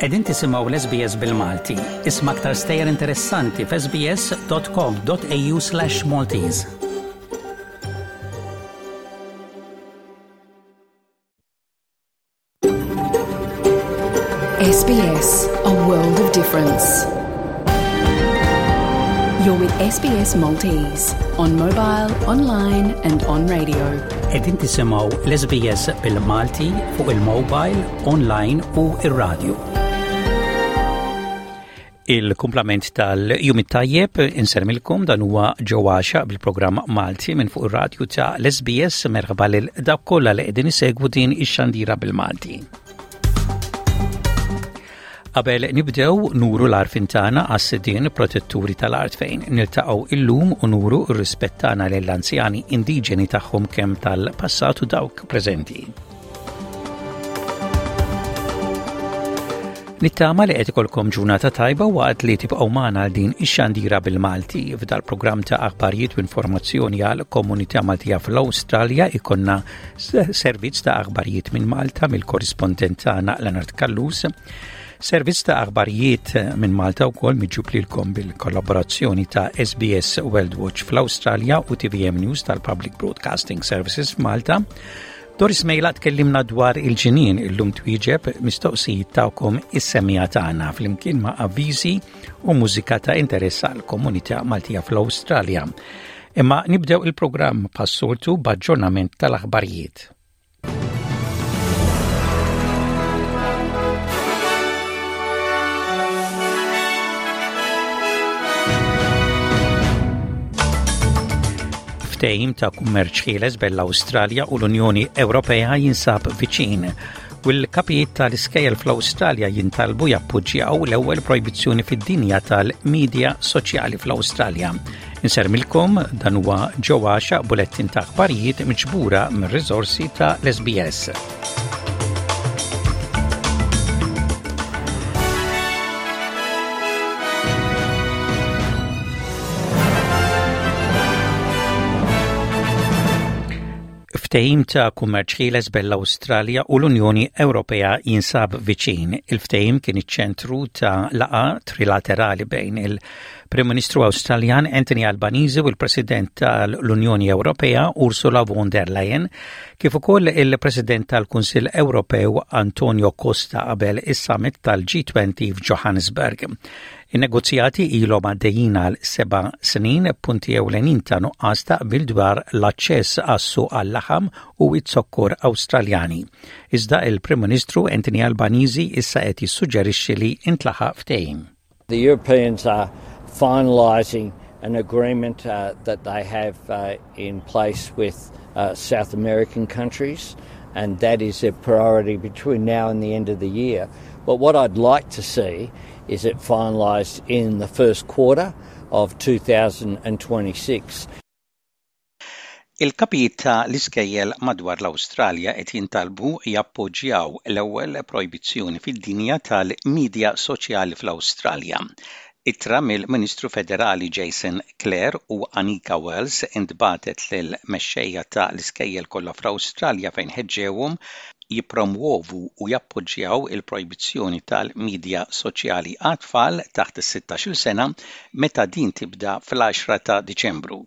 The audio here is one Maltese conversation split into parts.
Qegħdin tisimgħu l-SBS bil-Malti. Isma' aktar stejjer interessanti f'sbs.com.au/Maltese. SBS, a world of difference. You're with SBS Maltese on mobile, online and on radio. Qegħdin tisimgħu l-SBS bil-Malti fuq il-mobile, online u ir-radio. Il-kumplament tal-jum it-tajjeb insermilkom dan huwa ġewwaxa bil-programm Malti minn fuq ir-radju ta' l-SBS merħba lil dawk kollha li qegħdin isegwu din ix-xandira bil-Malti. Qabel nibdew nuru l-arfin tagħna għas-sidien protetturi tal-art fejn niltaqgħu illum u nuru r-rispett tagħna lill-anzjani indiġeni tagħhom kemm tal-passat u dawk preżenti. Nittama li qed ikolkom ġurnata tajba waqt li tibqgħu magħna għal din ix-xandira bil-Malti. F'dal-programm ta' aħbarijiet u informazzjoni għal komunità Maltija fl-Awstralja ikonna servizz ta' aħbarijiet minn Malta mill-korrispondent tagħna Leonard Callus. Servizz ta' aħbarijiet minn Malta wkoll miġjub lilkom bil-kollaborazzjoni ta' SBS World Watch fl-Awstralja u TVM News tal-Public Broadcasting Services f'Malta. Doris Mejla tkellimna dwar il-ġinien illum twieġeb mistoqsijiet tagħkom is-semija tagħna flimkien ma' avviżi u mużika ta' interess għal komunità Maltija fl-Awstralja. Imma nibdew il-programm passoltu b'aġġornament tal-aħbarijiet. Ftehim ta' kummerċ ħieles bejn l-Awstralja u l-Unjoni Ewropea jinsab viċin u l-kapijiet tal-iskejjel fl-Awstralja jintalbu jappoġġjaw l-ewwel projbizzjoni fid-dinja tal-medja soċjali fl-Awstralja. Insermilkom dan huwa ġewwa bulettin ta' aħbarijiet miġbura mir-riżorsi ta' l-SBS. Ftehim ta' kummerċ ħieles bejn l-Awstralja u l-Unjoni Ewropea jinsab viċin. Il-ftehim kien iċ-ċentru ta' laqgħa trilaterali bejn il-Prim Ministru Awstraljan Anthony Albanese u l-President tal-Unjoni Ewropea Ursula von der Leyen, kif ukoll il-President tal-Kunsill Ewropew Antonio Costa qabel is-summit tal-G20 f'Johannesburg. In-negozjati ilhom għaddejjin għal seba' snin, b'punti ewlenin ta' nuqqas ta' qbil dwar l-aċċess għas-suq għal-laħam u z-zokkor Awstraljani. Iżda il-Prim Ministru Anthony Albanese issa qed jissuġġerixxi li intlaħaq ftehim. The Europeans are finalising an agreement uh, that they have uh, in place with uh, South American countries, and that is a priority between now and the end of the year. But what I'd like to see is it finalised in the first quarter of 2026. Il-kapijiet ta' l-iskejjel madwar l-Awstralja qed jintalbu jappoġġjaw l-ewwel projbizzjoni fid-dinja tal-midja soċjali fl-Awstralja. Ittra mill-Ministru Federali Jason Clare u Anika Wells intbagħtet lill-mexxejja ta' l-iskejjel kollha fl-Awstralja fejn ħeġġewhom jippromwovu u jappoġġjaw il-projbizzjoni tal-midja soċjali għat-tfal taħt is-sittax-il sena meta din tibda fl-għaxra ta' Diċembru.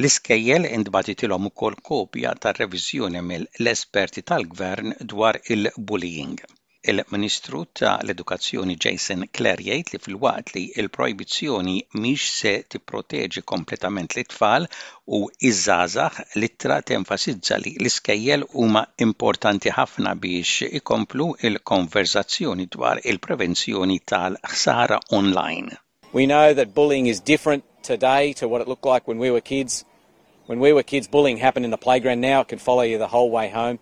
L-iskejjel intbagħtitilhom ukoll kopja tar-reviżjoni mill-esperti tal-Gvern dwar il-bullying. Il-Ministru ta' l-Edukazzjoni Jason Clare jgħid li filwaqt li l-projbizzjoni mhix se tipproteġi kompletament lit-tfal u ż-żgħażagħ, l-ittra tenfasizza li l-iskejjel huma importanti ħafna biex ikomplu l-konverżazzjoni dwar il-prevenzjoni tal-ħsara online. We know that bullying is different today to what it looked like when we were kids. When we were kids, bullying happened in the playground. Now it can follow you the whole way home.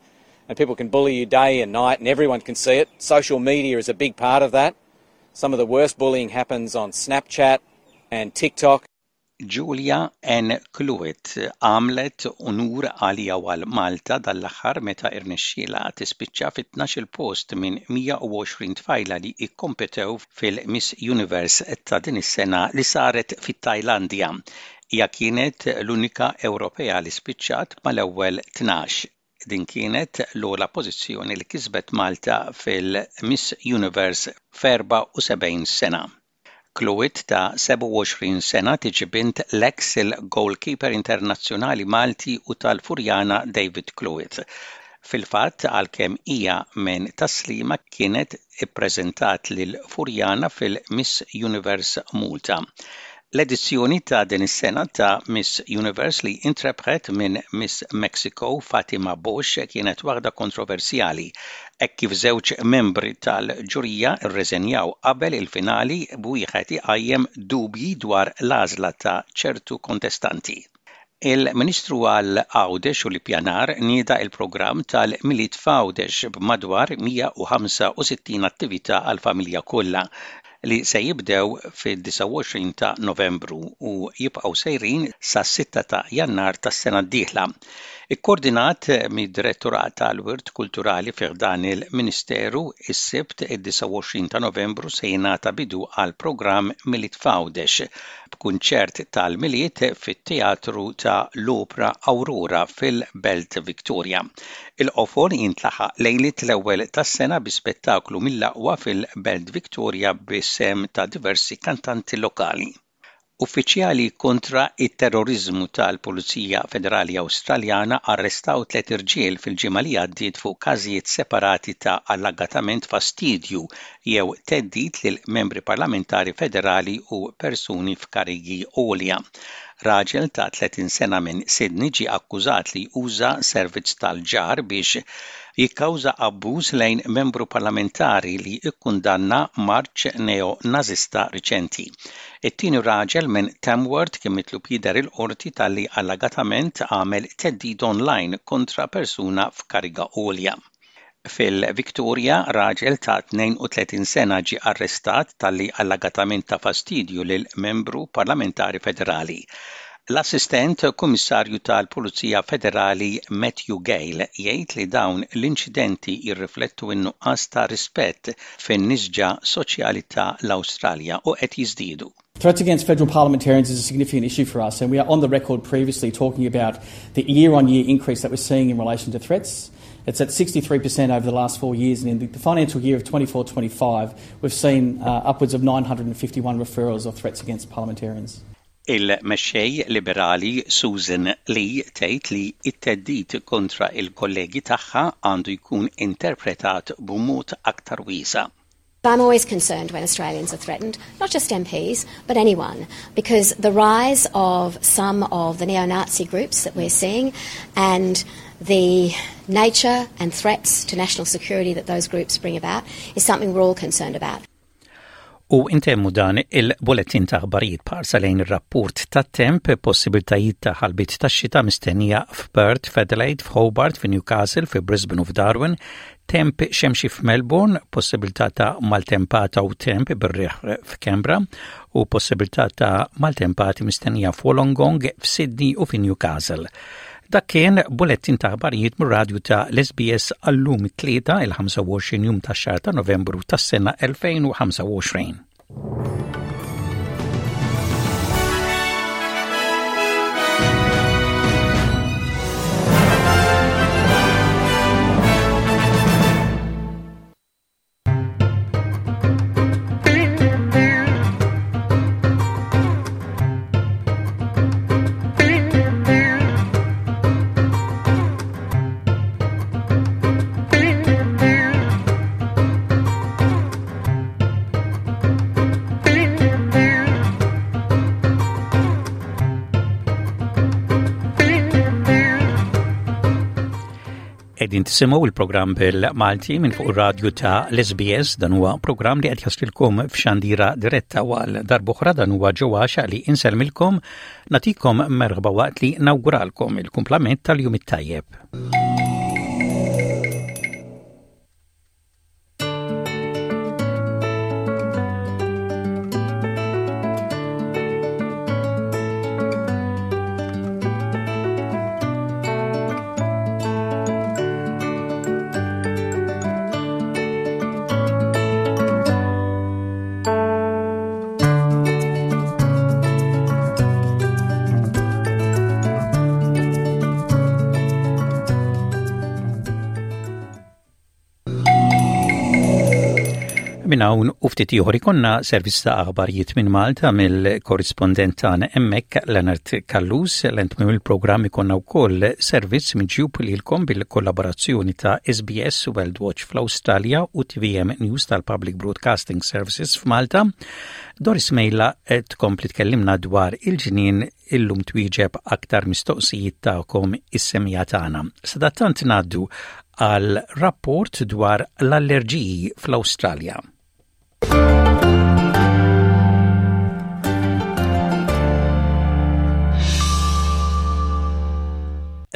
And people can bully you day and night, and everyone can see it. Social media is a big part of that. Some of the worst bullying happens on Snapchat and TikTok. Julia Ann Cluett għamlet unur għaliha u għal Malta dan l-aħħar meta rnexxielha tispiċċa fit-tnax-il post minn 120 tfajla li kkompetew fil-Miss Universe ta' din is-sena li saret fit-Tajlandja. Hija kienet l-unika Ewropea li spiċċat mal-ewwel 12. Din kienet l-ogħla pożizzjoni li kisbet Malta fil-Miss Universe f'74 sena. Cluett ta' 27 sena tiġi bint l-eks il-goalkeeper internazzjonali Malti u tal-Furjana David Cluett. Fil-fatt għalkemm hija minn Tas-Sliema kienet ippreżentat lil Furjana fil-Miss Universe Malta. L-edizzjoni ta' din is-sena ta' Miss Universe li intrebħet minn Miss Mexico Fatima Bosch kienet waħda kontroversjali hekk kif żewġ membri tal-ġurija rreżenjaw qabel il-finali b'wieħed iqajjem dubji dwar l-għażla ta' ċertu kontestanti. Il-Ministru għal Għawdex u l-Ippjanar nieda l-programm tal-Milied f'Għawdex b'madwar 165 attività għall-familja kollha li se jibdew fid-29 ta' Novembru u jibqgħu sejrin sas-sitta ta' Jannar tas-sena d-dieħla. Ikkordinat mid-Direttorat għall-Wirt Kulturali fi ħdan il-Ministeru, is-Sibt id-29 ta' Novembru se jingħata bidu għall-programm Milied f'Għawdex b'kunċert tal-Milied fit-Teatru ta' l-Opra Aurora fil-Belt Victoria. Il-qofol jintlaħaq lejliet l-ewwel tas-sena bi spettaklu mill-aqwa fil-Belt Victoria bis-sehem ta' diversi kantanti lokali. Uffiċjali kontra t-terroriżmu tal-Pulizija Federali Awstraljana arrestaw tliet irġiel fil-ġimgħa li għaddiet fuq każijiet separati ta' allegatament fastidju jew theddid lil membri parlamentari federali u persuni f'karigi għolja. Raġel ta' 30 sena minn Sydney ġie akkużat li uża servizz tal-ġar biex jikkawża abbuż lejn membru parlamentari li kkundanna marċ neo-Nażista riċenti. It-tieni raġel minn Tamworth kien mitlub jidher il-Qorti talli allegatament għamel theddid online kontra persuna f'kariga għolja. Fil-Victoria, raġel ta' 32 sena ġie arrestat talli allegatament ta fastidju lil membru parlamentari federali. L-Assistent Kummissarju tal-Pulizija Federali Matthew Gale jgħid li dawn l-inċidenti jirriflettu n-nuqqas ta' rispett fin-nisġa soċjali ta' l-Awstralja u qed jiżdiedu. Threats against federal parliamentarians is a significant issue for us, and we are on the record previously talking about the year on year increase that we're seeing in relation to threats. It's at 63% over the last four years, and in the financial year of 24 25, we've seen uh, upwards of 951 referrals of threats against parliamentarians. Il-mexxej Liberali Susan Lee tgħid li t-theddid kontra l-kollegi tagħha għandu jkun interpretat b'mod aktar wiesa'. I'm always concerned when Australians are threatened, not just MPs, but anyone, because the rise of some of the neo Nazi groups that we're seeing and the nature and threats to national security that those groups bring about is something we're all concerned about. U intemmu dan il-bulettin ta' aħbarijiet b'ħarsa lejn ir-rapport tat-temp, possibiltajiet ta' ħalbiet tax-xita mistennija f'Perth, f'Adelaide, f'Hobart, fi Newcastle, fi Brisbane u f'Darwin, temp xemxi f'Melbourne, possibilità ta' maltempata u temp bir-riħ f'Canberra u possibilità ta' maltempati mistennija f'Wollongong, f'Sydney u fi Newcastle. Dak kien bulettin ta' aħbarijiet mir-radju ta' l-SBS għallum it-Tlieta il-25 jum tax-xahar ta' Novembru tas-sena 2025. Qegħdin tisimgħu il-programm bil-Malti minn fuq ir-radju ta' l-SBS dan huwa programm li qed jaslilkom f'xandira diretta u għal darb'oħra dan huwa ġewwa li insellmilkom nagħtikom merħba waqt li nawguralkom il-kumplament tal-jum it-tajjeb. Minn hawn u ftit ieħor ikollna servizz ta' aħbarijiet minn Malta mill-korrispondent tagħna hemmhekk Leonard Callus. L-entmiem il-programm ikollna wkoll servizz miġjub lilkom bil-kollaborazzjoni ta' SBS World Watch fl-Awstralja u TVM News tal-Public Broadcasting Services f'Malta. Doris Mejla tkompli tkellimna dwar il-ġnien illum twieġeb aktar mistoqsijiet tagħkom is-semija tagħna. Sadattant ngħaddu għal rapport dwar l-allerġiji fl-Awstralja.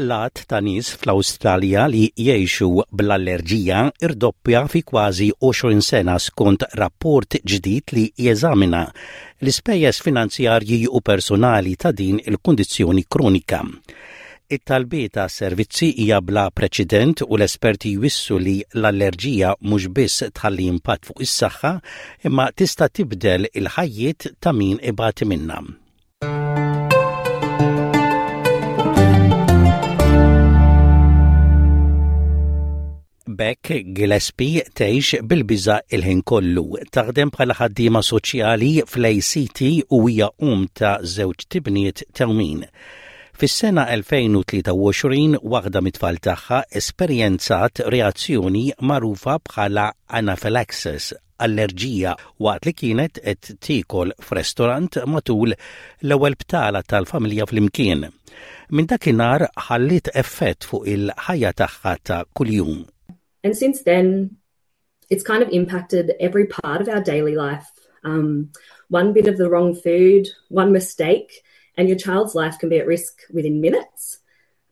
L-għadd ta' nies fl-Awstralja li jgħixu bl-allerġija irdoppja fi kważi 20 sena skont rapport ġdid li jeżamina l-ispejjeż finanzjarji u personali ta' din il-kundizzjoni kronika. It-talbiet għas-servizzi hija bla preċedent u l-esperti jwissu li l-allerġija mhux biss tħalli impatt fuq is-saħħa imma tista' tibdel il-ħajjiet ta' min ibati minnha. B'hekk Gillespie tgħix bil-biża' il-ħin kollu. Taħdem bħala ħaddiema soċjali fl-ACT u hija omm ta' żewġ tibniet tewmin. Fis-sena 2023 waħda mit-tfal tagħha esperjenzat reazzjoni magħrufa bħala anaphylaxis, allerġija, waqt li kienet qed tiekol f'restorant matul l-ewwel btala tal-familja flimkien. Minn dakinhar ħalliet effett fuq il-ħajja tagħha ta' kuljum. And since then, it's kind of impacted every part of our daily life. Um, one bit of the wrong food, one mistake, and your child's life can be at risk within minutes.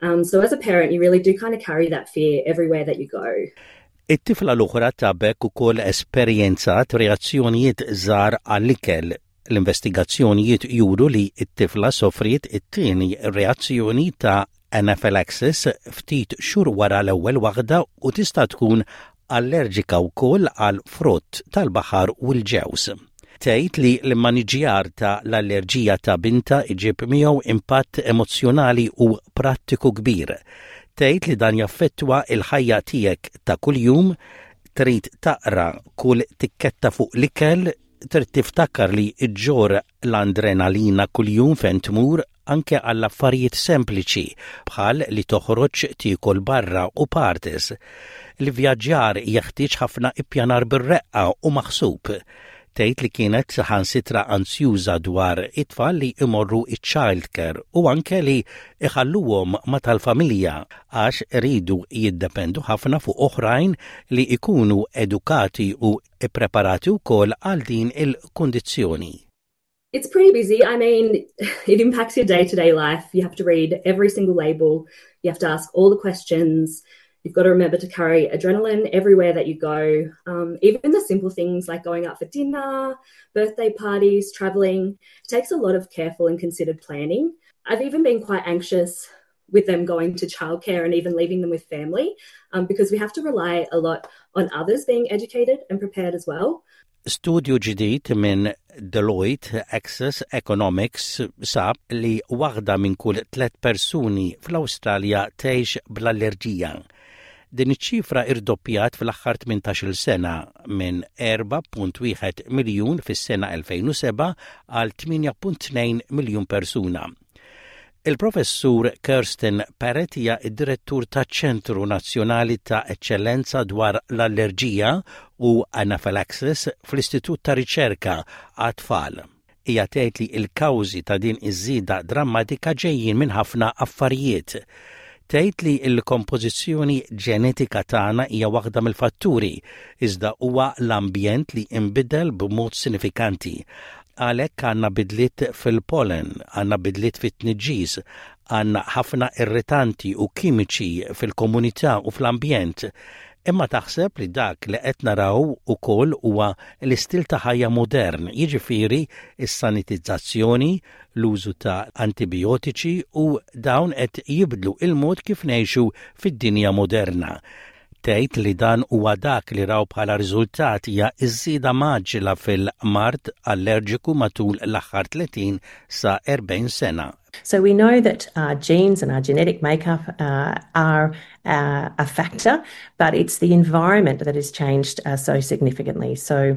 Um, so as a parent, you really do kind of carry that fear everywhere that you go. It-tifla l-oħra ta' Beck ukoll esperjenzat reazzjonijiet żgħar għall-ikel. L-investigazzjonijiet juru li t-tifla sofriet it-tieni reazzjoni ta' anaphylaxis ftit xhur wara l-ewwel waħda u tista' tkun allerġika wkoll għal frott tal-baħar u l-ġewż. Tgħid li l-immaniġġjar ta' l-allerġija ta' bintha jġib miegħu impatt emozzjonali u prattiku kbir. Tgħid li dan jaffettwa l-ħajja tiegħek ta' kuljum, trid taqra kull tikketta fuq l-ikel, trid tiftakar li ġġorr l-andrenalina kuljum fejn tmur, anke għal affarijiet sempliċi bħal li toħroġ tiekol barra u parties. L-ivvjaġġar jeħtieġ ħafna ippjanar bir-reqqa u maħsub. Tgħid li kienet saħansitra anzjuża dwar it-tfal li jmorru iċ-child care u anke li jħalluhom ma' tal-familja għax iridu jiddependu ħafna fuq oħrajn li jkunu edukati u ppreparati wkoll għal din il-kundizzjoni. It's pretty busy. I mean, it impacts your day to day life. You have to read every single label, you have to ask all the questions. You've got to remember to carry adrenaline everywhere that you go. Um, even the simple things like going out for dinner, birthday parties, traveling, it takes a lot of careful and considered planning. I've even been quite anxious with them going to childcare and even leaving them with family um, because we have to rely a lot on others being educated and prepared as well. Studju ġdid minn Deloitte Access Economics sab li waħda minn kull tliet persuni fl-Awstralja tgħix bl-allerġija. Din iċ-ċifra irdoppjat fl-aħħar 18-il sena minn 4.1 miljun fis-sena 2007 għal 8.2 miljun persuna. Il-Professur Kirsten Parrett hija d-Direttur taċ-Ċentru Nazzjonali ta' Eċċellenza dwar l-Allerġija u Anaphylaxis fl-Istitut ta' Riċerka għat-Tfal. Hija tgħid li l-kawżi ta' din iż-żieda drammatika ġejjin minn ħafna affarijiet. Tgħid li l-kompożizzjoni ġenetika tagħna hija waħda mill-fatturi, iżda huwa l-ambjent li nbidel b'mod sinifikanti. Għalhekk għandna bidliet fil-pollen, għandna bidliet fit-tniġġis, għandna ħafna irritanti u kimiċi fil-komunità u fl-ambjent. Imma taħseb li dak li qed naraw ukoll huwa l-istil ta' ħajja modern, jiġifieri s-sanitizzazzjoni, l-użu ta' antibijotiċi u dawn qed jibdlu il-mod kif ngħixu fid-dinja moderna. Tgħid li dan huwa dak li raw bħala riżultat hija ż-żieda mgħaġġla fil-mard allerġiku matul l-aħħar 30 sa 40 sena. So we know that our genes and our genetic makeup uh, are uh, a factor, but it's the environment that has changed uh, so significantly. So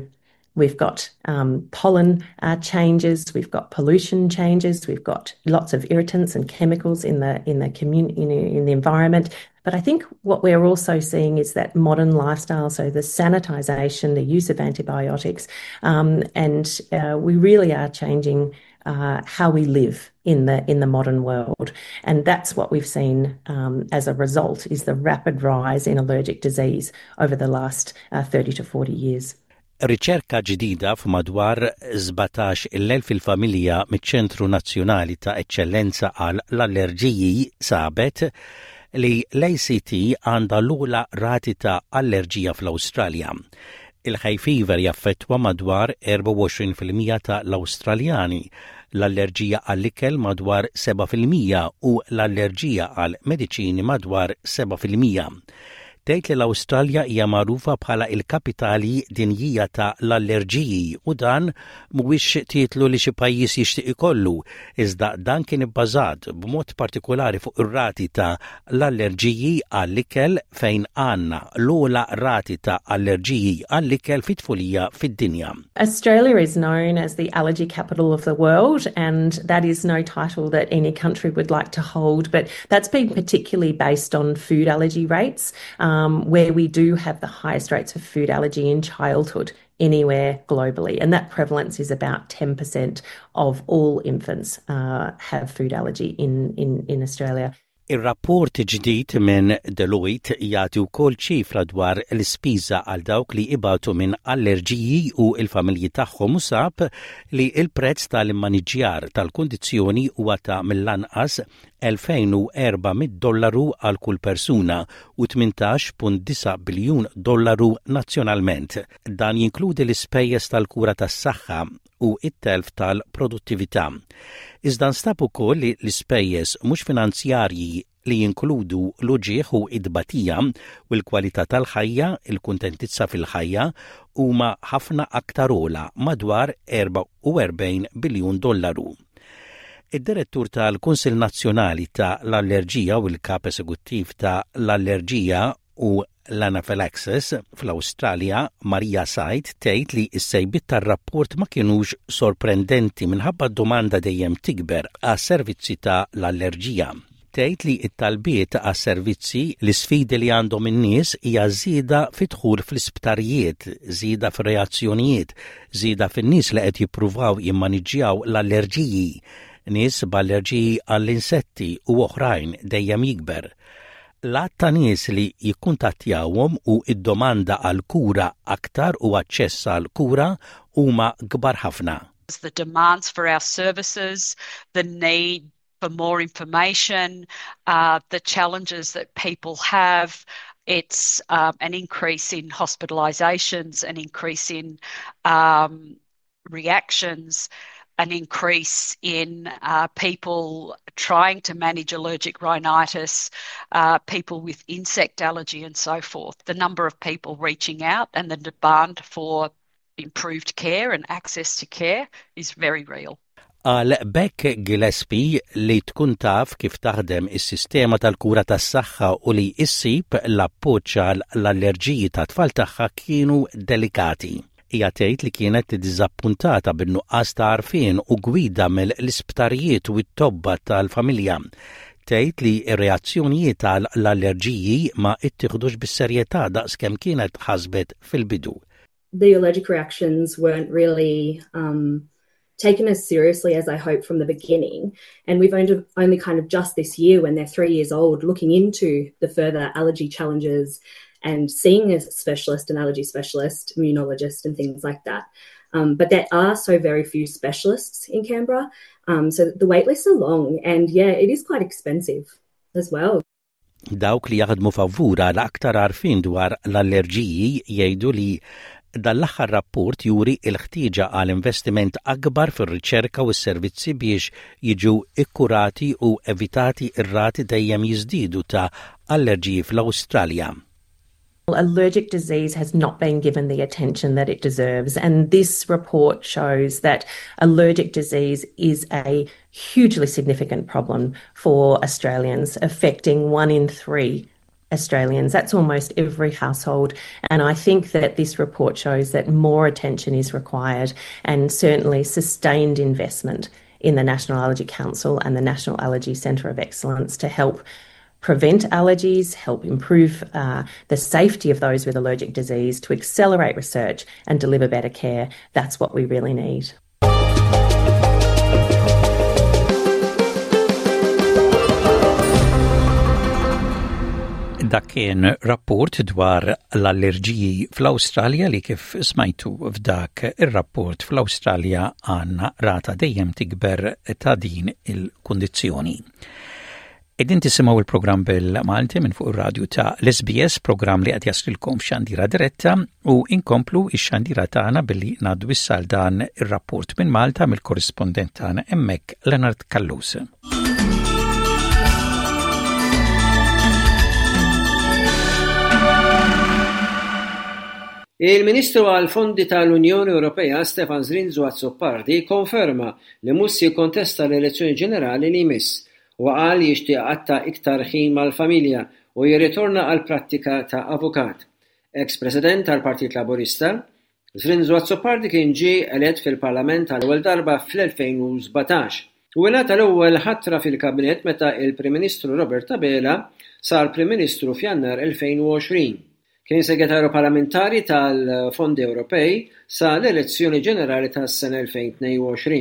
we've got um, pollen uh, changes, we've got pollution changes, we've got lots of irritants and chemicals in the in the community in the environment. But I think what we're also seeing is that modern lifestyle, so the sanitization, the use of antibiotics, um, and uh, we really are changing uh, how we live in the in the modern world. And that's what we've seen um, as a result is the rapid rise in allergic disease over the last uh, 30 to 40 years. Riċerka ġdida f'madwar 17,000 il-familja miċ-Ċentru Nazzjonali ta' Eċċellenza għal l-Allerġiji sabet li l-ACT għandha l-ogħla rati ta' allerġija fl-Awstralja. Il-hay fever jaffettwa madwar 24% ta' l-Awstraljani, l-allerġija għall-ikel madwar 7% u l-allerġija għal mediċini madwar 7%. Tgħid li l-Awstralja hija magħrufa bħala il-kapitali dinjija ta' l-allerġiji u dan mhuwiex titlu li xi pajjiż jixtieq ikollu, iżda dan kien ibbażat b'mod partikolari fuq ir-rati ta' l-allerġiji għall-ikel fejn għandna l-ogħla rati ta' allerġiji għall-ikel fit-tfulija fid-dinja. Australia is known as the allergy capital of the world and that is no title that any country would like to hold, but that's been particularly based on food allergy rates um, where we do have the highest rates of food allergy in childhood anywhere globally. And that prevalence is about 10% of all infants uh, have food allergy in, in, in Australia. Ir-rapport ġdid minn Deloitte jagħti wkoll ċifra dwar l-ispiża għal dawk li ibatu minn allerġiji u l-familji tagħhom u sab li l-prezz tal-immaniġjar tal-kundizzjoni huwa ta' mill-anqas 2,400 dollaru għal kull persuna u 18.9 biljun dollaru nazzjonalment. Dan jinkludi l-ispejjeż tal-kura tas-saħħa u t-telf tal-produttività. Iżda nstab ukoll li l-ispejjeż mhux finanzjarji li jinkludu l-uġigħ u t-tbatija u l-kwalità tal-ħajja, il-kuntentizza fil-ħajja, huma ħafna aktar ogħla, madwar 44 biljun dollaru. Id-Direttur tal-Kunsill Nazzjonali ta' l-Allerġija u l-Kap Esekuttiv ta' l-Allerġija u l-Anaphylaxis fl-Awstralja, Maria Said, tgħid li s-sejbiet tar-rapport ma kinux sorprendenti minħabba d-domanda dejjem tikber għas-servizzi ta' l-allerġija. Tgħid li t-talbiet għas-servizzi, l-isfidi li għandhom in-nies hija żieda fid-dħul fl-isptarijiet, żieda fir-reazzjonijiet, żieda fin-nies li qed jippruvaw jimmaniġġjaw l-allerġiji, nies b'allerġiji għall-insetti u oħrajn dejjem jikber. L-għadd ta' nies li jikkuntattjawhom u d-domanda għal kura aktar u aċċess għal kura huma kbar ħafna. The demands for our services, the need for more information, uh, the challenges that people have. It's um, an increase in hospitalisations, an increase in um, reactions, an increase in uh, people trying to manage allergic rhinitis, uh, people with insect allergy, and so forth. The number of people reaching out and the demand for improved care and access to care is very real. Għal Beck Gillespie li tkun taf kif taħdem is-sistema tal-kura tas-saħħa u li issib l-appoġġ għal l-allerġiji tat-tfal tagħha kienu delikati. Hija tgħid li kienet iddiżappuntata bin-nuqqas ta' għarfien u gwida mill-isptarijiet u t-tobba tal-familja. Tgħid li r-reazzjonijiet għal l-allerġiji ma ttieħdux bis-serjetà daqs kemm kienet ħasbet fil-bidu. The allergic reactions weren't really um, taken as seriously as I hoped from the beginning. And we've only, only kind of just this year, when they're three years old, looking into the further allergy challenges and seeing a specialist, an allergy specialist, immunologist, and things like that. Um, but there are so very few specialists in Canberra. Um, so the wait lists are long and yeah, it is quite expensive as well. Dawk li jaħdmu favur għal aktar għarfien dwar l-allerġiji jgħidu li dan l-aħħar rapport juri l-ħtieġa għal investiment akbar fir-riċerka u s-servizzi biex jiġu ikkurati u evitati r-rati dejjem jiżdiedu ta' allerġiji fl-Awstralja. Allergic disease has not been given the attention that it deserves and this report shows that allergic disease is a hugely significant problem for Australians, affecting one in three Australians. That's almost every household. And I think that this report shows that more attention is required and certainly sustained investment in the National Allergy Council and the National Allergy Centre of Excellence to help prevent allergies, help improve uh, the safety of those with allergic disease, to accelerate research and deliver better care. That's what we really need. Dak kien rapport dwar l-allerġiji fl-Awstralja li kif smajtu f'dak ir-rapport fl-Awstralja għandna rata dejjem tikber ta' din il-kundizzjoni. Qegħdin tisimgħu il-programm bil-Malti minn fuq ir-radju ta' l-SBS, programm li qed jaslilkom f'xandira diretta u inkomplu x-xandira tagħna billi ngħaddu issa għal dan ir-rapport minn Malta mill-korrispondent tagħna hemmhekk Leonard Callus. Il-Ministru għall-Fondi tal-Unjoni Ewropea Stefan Zrinzo Azzopardi kkonferma li mhux se jikkontesta l-elezzjoni ġenerali li jmiss. Huwa qal li jixtieq iqatta' iktar ħin mal-familja u jirritorna għall-prattika ta' avukat. Eks President tal-Partit Laburista, Zrinzo Azzopardi kien ġie elett fil-Parlament għall-ewwel darba fl-2017. Hu ingħata l-ewwel ħatra fil-Kabinett meta il-Prim Ministru Robert Abela sar Prim Ministru f'Jannar 2020. Kien Segretarju Parlamentari tal-Fondi Ewropej sa l-elezzjoni ġenerali tas-sena 2022,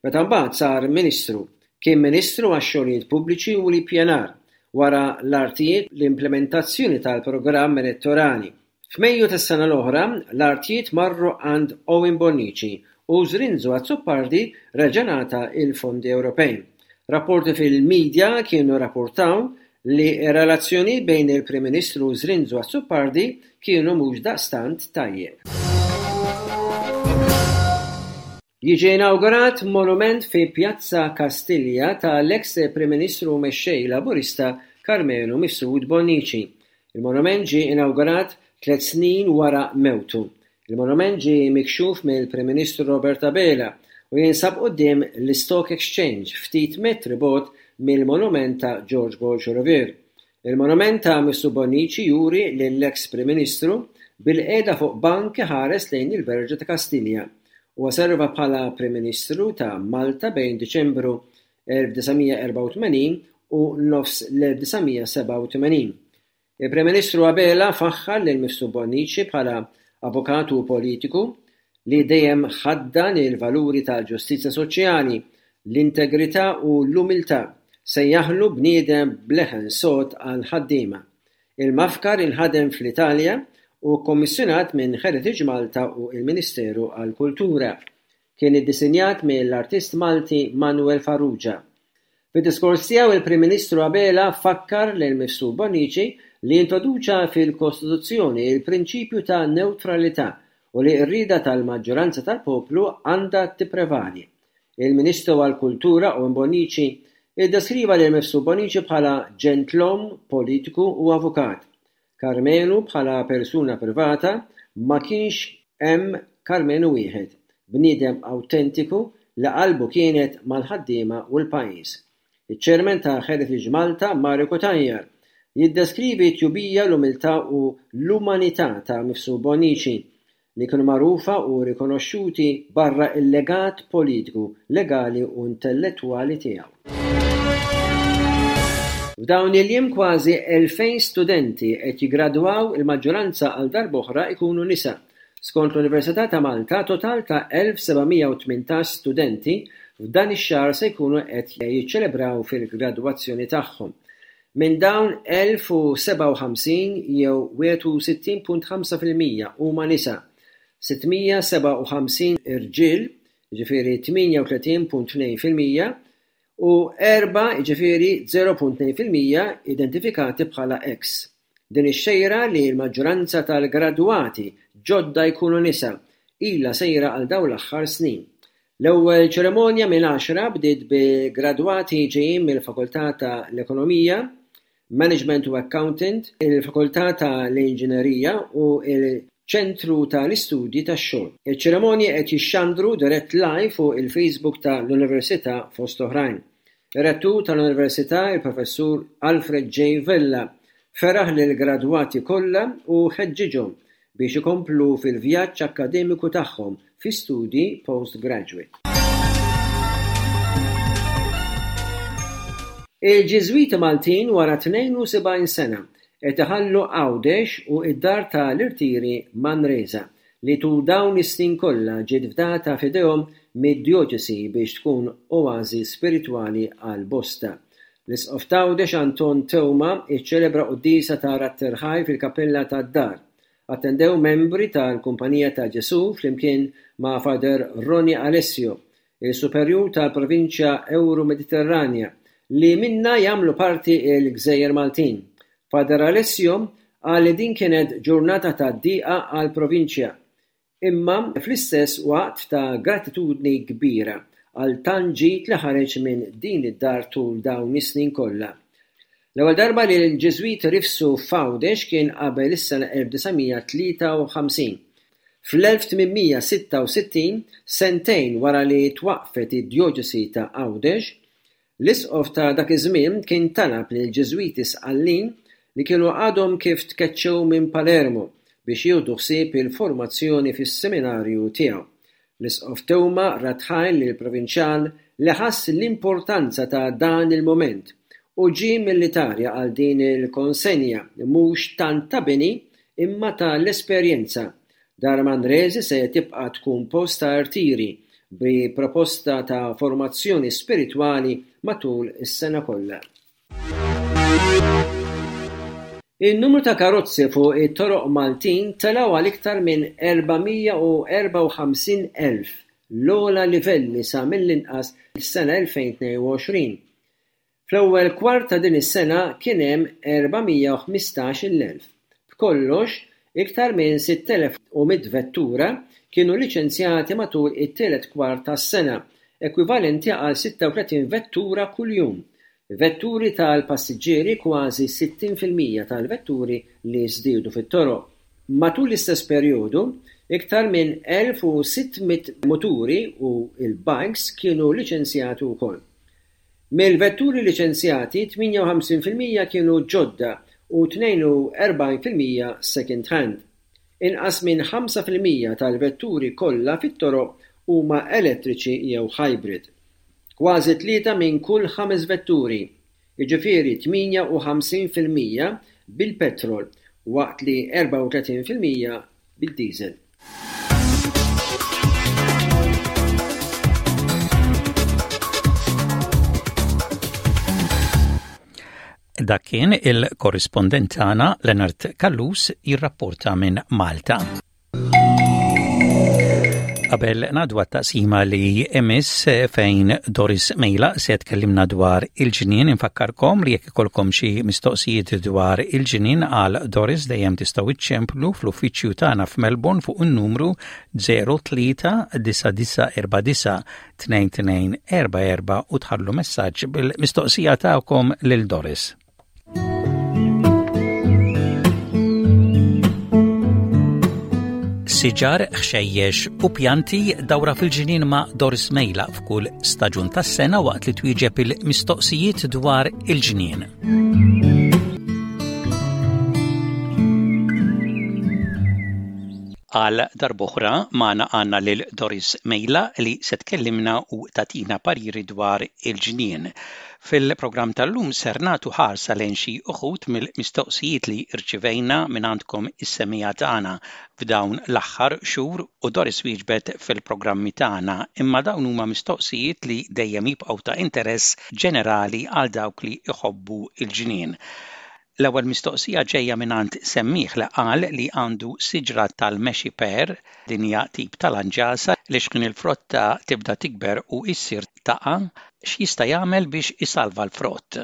meta mbagħad sar Ministru. Kien Ministru għax-Xogħlijiet Pubbliċi u l-Ippjanar, wara l-artijiet l-implementazzjoni tal-programm elettorali. F'Mejju tas-sena l-oħra, l-artijiet marru għand Owen Bonnici u Zrinzo Azzopardi reġa' ngħata l-fondi Ewropej. Rapporti fil-midja kienu rrapportaw li r-relazzjonijiet bejn il-Prim Ministru u Zrinzo Azzopardi kienu mhux daqstant tajjeb. Jiġi inawgurat monument fi Pjazza Kastilja ta' l-eks Prim Ministru u Mexxej Laburista Karmenu Mifsud Bonnici. Il-monument ġie inawgurat tlett snin wara mewtu. Il-monument ġie mikxuf mill-Prim Ministru Robert Abela u jinsab quddiem l-Istock Exchange ftit metri bogħod mill-monument ta' George Borg Olivier. Il-monument ta' Mifsud Bonnici juri lill-eks Prim Ministru bilqiegħda fuq bank iħares lejn il-Verġa ta' Kastilja. Huwa serva bħala Prim Ministru ta' Malta bejn Diċembru 1984 u nofs l-1987. Il-Prim Ministru Abela faħħar lil Mifsud Bonnici bħala avukat u politiku li dejjem ħaddan il-valuri tal-ġustizzja soċjali, l-integrità u l-umiltà, sejjaħlu bniedem b'leħen sod għall-ħaddiema. Il-mafkar inħadem fl-Italja u kkommissjonat minn Heritage Malta u l-Ministeru għall-Kultura. Kien iddisinjat mill-artist Malti Manuel Farrugia. Fid-diskors tiegħu il-Prim Ministru Abela fakkar lil Mifsud Bonnici li introduċa fil-Kostituzzjoni l-prinċipju ta' newtralità u li r-rieda tal-maġġoranza tal-poplu għandha tipprevali. Il-Ministru għall-Kultura Owen Bonnici iddeskriva lil Mifsud Bonnici bħala ġentlom, politiku u avukat. Karmenu bħala persuna privata ma kienx hemm Karmenu wieħed, bniedem awtentiku li qalbu kienet mal-ħaddiema u l-pajjiż. Iċ-Chairman ta' Heritage Malta, Mario Cutajar, jiddeskrivi t-tjubija, l-umiltà u l-umanità ta' Mifsud Bonnici, li kienu magħrufa u rikonoxxuti barra l-legat politiku, legali u intellettwali tiegħu. F'dawn il-jiem kważi 2,000 studenti qed jiggradwaw, il-maġġoranza għal darb'oħra jkunu nisa. Skont l-Università ta' Malta, total ta' 1,718 studenti f'dan ix-xahar se jkunu qed jiċċelebraw fil-gradwazzjoni tagħhom. Minn dawn 1,057 jew 61.5% huma nisa, 657 irġiel, jiġifieri 38.2%, u erbgħa, jiġifieri 0.2%, identifikati bħala eks. Din ix-xejra li l-maġġoranza tal-gradwati ġodda jkunu nisa, ilha sejra għal dawn l-aħħar snin. L-ewwel ċerimonja minn għaxra bdiet bi gradwati ġejjin mill-Fakultà ta' l-Ekonomija, Management u Accountant, il-Fakultà ta' l-Inġinerija u l-Ċentru ta' l-Istudji tax-Xogħol. Iċ-ċerimonji qed jixxandru dirett live fuq il-Facebook ta' l-Università fost oħrajn. Ir-Rettur tal-Università, il-Professur Alfred J. Vella, feraħ lill-gradwati kollha u ħeġġiġhom biex ikomplu fil-vjaġġ akkademiku tagħhom fi studji postgraduate. Il-Ġiżwiti Maltin wara 72 sena qed iħallu Għawdex u d-dar ta' l-irtiri Manresa li tul dawn is-snin kollha ġiet fdata f'idejhom mid-djoċesi biex tkun oażi spiritwali għal bosta. L-Isqof t'Għawdex Anton Teuma ċċelebra quddiesa ta' Radd Ħaj fil-kappella tad-dar. Attendew membri tal-Kumpanija ta' Ġesù flimkien ma' Father Ronnie Alessio, il-Superjur tal-Provinċja Ewro-Mediterranja li minnha jagħmlu parti l-Gżejjer Maltin. Father Alessio qal li din kienet ġurnata ta' dieqa għall-Provinċja imma fl-istess waqt ta' gratitudni kbira għal tant ġid li ħareġ minn din id-dar tul dawn is-snin kollha. L-ewwel darba li l-Ġiżwiti rifsu f'Għawdex kien qabel is-sena 1953. Fl-1866, sentejn wara li twaqqfet id-Djoċesi ta' Għawdex, L-isqof ta' dak iż-żmien kien talab lill-Ġiżwiti Sqallin li kienu għadhom kif tkeċċew minn Palermo biex jieħdu ħsieb il-formazzjoni fis-seminarju tiegħu. L-Isqof Teuma radd ħajr lill-Provinċjal li ħass l-importanza ta' dan il-mument u ġie mill-Italja għal din il-konsenja mhux tant ta' bini imma ta' l-esperjenza Dar Manrese se tibqa' tkun post ta' rtiri bi proposta ta' formazzjoni spiritwali matul is-sena kollha. In-numru ta' karozzi fuq it-toroq Maltin telgħu għal iktar minn 454,000, l-ogħla livelli sa mill-inqas s-sena 2022. Fl-ewwel kwart ta' din is-sena kien hemm 415-il elf. B'kollox, iktar minn 6,100 vettura kienu liċenzjati matul it-tielet kwart tas-sena, ekwivalenti għal 36 vettura kuljum. Vetturi tal-passiġġieri kważi 60 fil-mija tal-vetturi li żdiedu fit-toroq. Matul l-istess perjodu, iktar minn 1,600 muturi u l-bikes kienu liċenzjati wkoll. Mill-vetturi liċenzjati, 58% kienu ġodda u 42% second-hand. Inqas minn 5% tal-vetturi kollha fit-toroq huma elettriċi jew hybrid. Kważi tlieta minn kull ħames vetturi, jiġifieri 58% bil-petrol waqt li 34% bid-diesel. Dak kien il-korrispondent tagħna Leonard Callus jirrapporta minn Malta. Qabel ngħaddu għat-taqsima li imiss fejn Doris Mejla se tkellimna dwar il-ġnien infakkarkom li jekk ikolkom xi mistoqsijiet dwar il-ġnien għal Doris dejjem tistgħu iċċemplu fl-uffiċċju tagħna f'Melbourne fuq in-numru 03 9949 2244 u tħallu messaġġ bil-mistoqsija tagħkom lil Doris. Siġar, ħxejjex u pjanti dawra fil-ġnien ma' Doris Mejla f'kull staġun tas-sena waqt li twieġeb il-mistoqsijiet dwar il-ġnien. Għal darb'oħra magħna għandna lil Doris Mejla li se tkellimna u tagħtina pariri dwar il-ġnien. Fil-programm tal-lum ser nagħtu ħarsa lejn xi uħud mill-mistoqsijiet li rċivejna mingħandkom is-semmiegħa tagħna f'dawn l-aħħar xhur u Doris wieġbet fil-programmi tagħna, imma dawn huma mistoqsijiet li dejjem jibqgħu ta' interess ġenerali għal dawk li jħobbu l-ġnien. L-ewwel mistoqsija ġejja mingħand semmiegħ li qal li għandu siġra tal-mexi pear, din hija tip ta' lanġasa, li x'ħin il-frotta tibda tikber u issir taqa', x'jista' jagħmel biex isalva l-frott?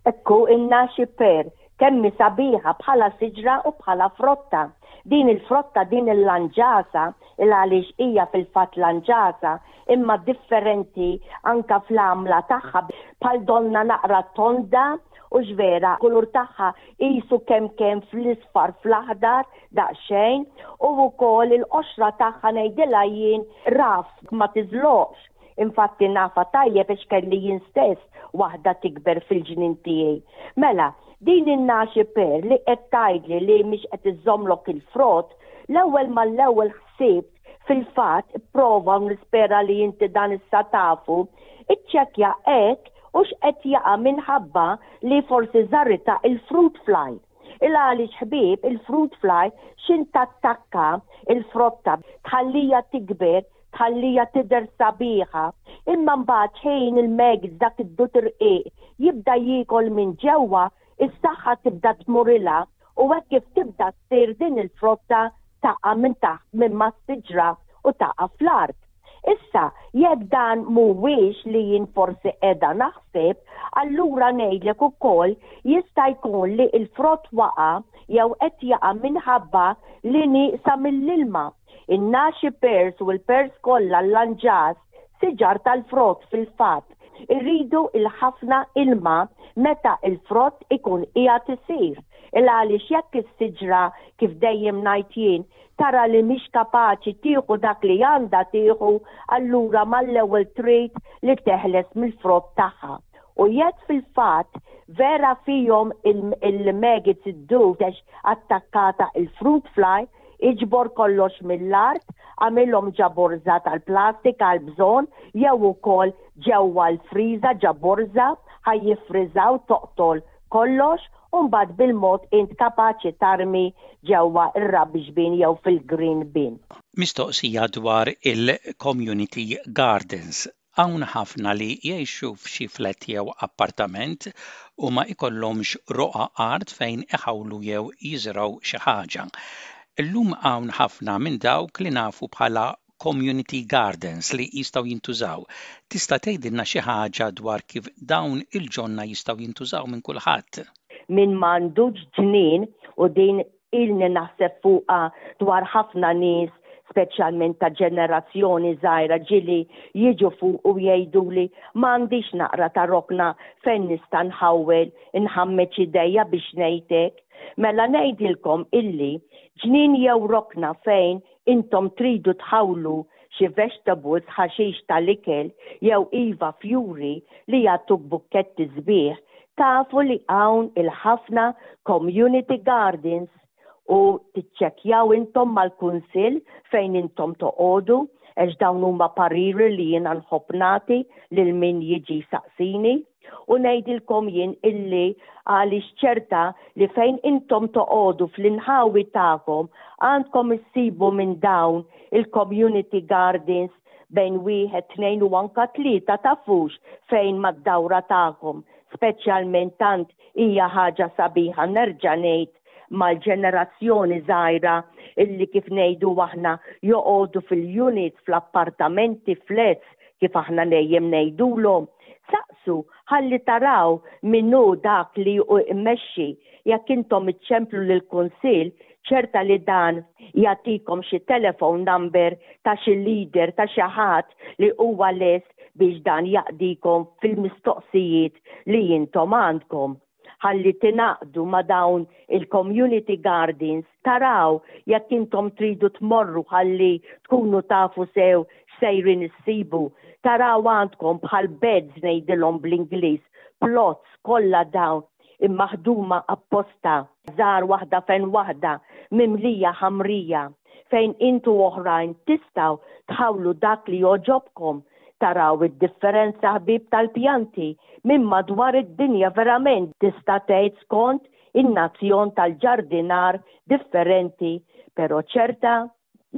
Ekku in-naxi pear, kemm hi sabiħa bħala siġra u bħala frotta. Din il-frotta, din il-lanġasa, il għaliex hija fil-fatt lanġasa, imma differenti anka fl-għamla tagħha bħal donnha naqra tonda. Hux vera, kulur tagħha qisu kemm kemm fl-isfar fl-aħdar daqsxejn u wkoll il-qoxra tagħha ngħidilha jien rough ma tiżloqx. Infatti nafha tajjeb għax kelli jien stess waħda tikber fil-ġnien tiegħi. Mela, din in-naxi pear li qed tgħidli li mhix qed iżżommlok il-frott, l-ewwel mal-ewwel ħsibt fil-fatt ipprova u nispera li inti dan issa tafu, iċċekkja hekk hux qed jaqa' minħabba li forsi żarritha il-fruit fly. Il għaliex ħbieb il-fruit fly x'in tattakka il-frotta tħallija tikber, tħallija tidher sabiħa, imma mbagħad x'ħin il-maggots dak id-dud irqiq jibda jiekol minn ġewwa, is-saħħa tibda tmurilha u hekk kif tibda ssir din il-frotta taqa' minn taħt minn mas-siġra u taqa' fl-art. Issa, jekk dan mhuwiex li jien forsi qiegħda naħseb, allura ngħidlek ukoll jista' jkun li l-frott waqa' jew qed jaqa' minħabba li nieqsa mill-ilma. In-naxi pears u l-pears kollha l-lanġas, siġar tal-frott fil-fatt, iridu l-ħafna ilma meta l-frott ikun qiegħed isir. Il-għaliex jekk is-siġra, kif dejjem ngħid jien, tara li mhix kapaċi tieħu dak li għandha tieħu, allura mal-ewwel trid li teħles mill-frott tagħha. U jekk fil-fatt vera fihom il-maggots id-dud għax attakkata il-fruit fly, iġbor kollox mill-art, agħmilhom ġa borża tal-plastik għall-bżonn jew ukoll ġewwa l-friża ġa borża ħa jiffriżaw toqtol kollox u mbagħad bil-mod int kapaċi tarmi ġewwa r-rubbish bin jew fil-green bin. Mistoqsija dwar il-community gardens. Hawn ħafna li jgħixu f'xi flat jew appartament u ma jkollhomx roqgħa art fejn iħawlu jew jiżirgħu xi ħaġa. Illum hawn ħafna minn dawk li nafu bħala community gardens li jistgħu jintużaw. Tista' tgħidilna xi ħaġa dwar kif dawn il-ġonna jistgħu jintużaw minn kulħadd? Min m'għandux ġnien, u din ilni naħseb fuqha dwar ħafna nies speċjalment ta' ġenerazzjoni żgħira ġieli jiġu fuq u jgħiduli m'għandix naqra ta' rokna fejn nista' nħawwel, inħammeġ idejja biex ngħid hekk. Mela ngħidilkom illi ġnien jew rokna fejn Intom tridu tħawlu xi vegetables, ħaxix tal-ikel, jew iva fjuri li jagħtuk bukketti sbieħ, tafu li hawn il-ħafna community gardens u tiċċekkjaw intom mal-kunsill fejn intom toqogħdu għax dawn huma pariri li jiena nħobb nagħti lil min jiġi jsaqsini. U ngħidilkom jien illi għaliex ċerta li fejn intom toqogħdu fl-inħawi tagħkom għandkom issibu minn dawn il-community gardens bejn wieħed, tnejn u anka tlieta tafux fejn mad-dawra tagħkom, speċjalment tant hija ħaġa sabiħa nerġa' ngħid mal-ġenerazzjoni żgħira illi kif ngħidu aħna joqogħdu fil-units, fl-appartamenti, flats kif aħna dejjem ngħidulhom. Saqsu ħalli taraw min hu dak li hu jmexxi. Jekk intom iċċemplu lill-kunsill, ċerta li dan jagħtikom xi telephone number ta' xi leader ta' xi ħadd li huwa lest biex dan jaqdikom fil-mistoqsijiet li intom għandkom. ħalli tingħaqdu ma' dawn il-community gardens, taraw jekk intom tridu tmorru ħalli tkunu tafu sew x'sejrin issibu, taraw għandkom bħal beds ngħidilhom bl-Ingliż, plots kollha dawn immaħduma apposta, żgħar waħda fejn waħda, mimlija ħamrija, fejn int u oħrajn tistgħu tħawlu dak li jogħġobkom. Taraw id-differenza ħbieb tal-pjanti minn madwar id-dinja verament tista' tgħid skont in-nazzjon tal-ġardinar differenti pero ċerta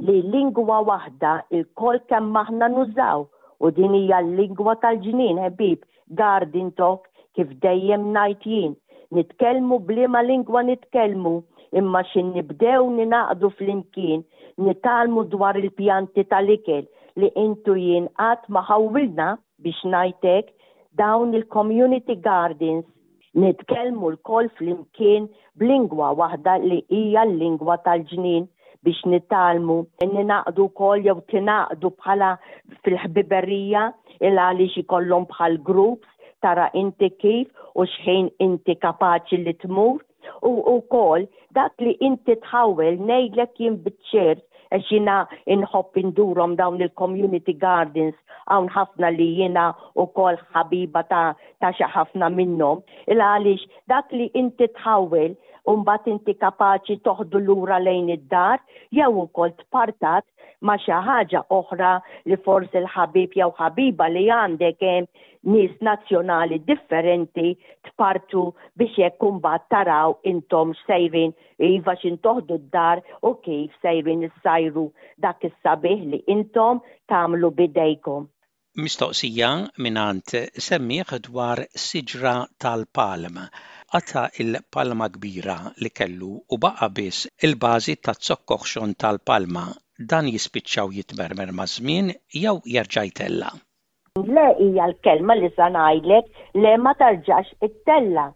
li lingwa waħda ilkoll kemm aħna nużaw u din hija l-lingwa tal-ġnien ħbieb garden talk kif dejjem ngħid jien. Nitkellmu b'liema lingwa nitkellmu imma xi nibdew ningħaqdu flimkien nitgħallmu dwar il-pjanti tal-ikel li int u jien qatt ma ħawwilna biex ngħid hekk dawn il-community gardens Nitkellmu lkoll flimkien b'lingwa waħda li hija l-lingwa tal-ġnien biex nitgħallmu, ningħaqdu wkoll jew tingħaqdu bħala fil-ħbiberija il għaliex ikollhom bħal groups. tara inti kif u x'ħin inti kapaċi li tmur u wkoll dak li inti tħawwel ngħidlek jien biċ-ċert għax jiena inħobb indurhom dawn il-community gardens hawn ħafna li jiena wkoll ħabiba ta' ta' xi ħafna minnhom il għaliex dak li inti tħawwel u mbagħad inti kapaċi toħdu lura lejn id-dar jew ukoll tpartat ma' xi ħaġa oħra li forsi l-ħabib jew ħabiba li għandek hemm nies nazzjonali differenti tpartu biex hekk imbagħad taraw intom x'sejrin iva x'in toħdu d-dar u kif sejrin issajru dak is-sabiħ li intom tagħmlu b'idejkom. Mistoqsija mingħand semmiegħ dwar siġra tal-palm. Qata' l-palma kbira li kellu u baqa' biss il-bażi taz-zokk oħxon tal-palma. Dan jispiċċa u jitmermer maż-żmien jew jerġa' jtella'? Le hija l-kelma li sa ngħidlek, le ma tarġax ittella'.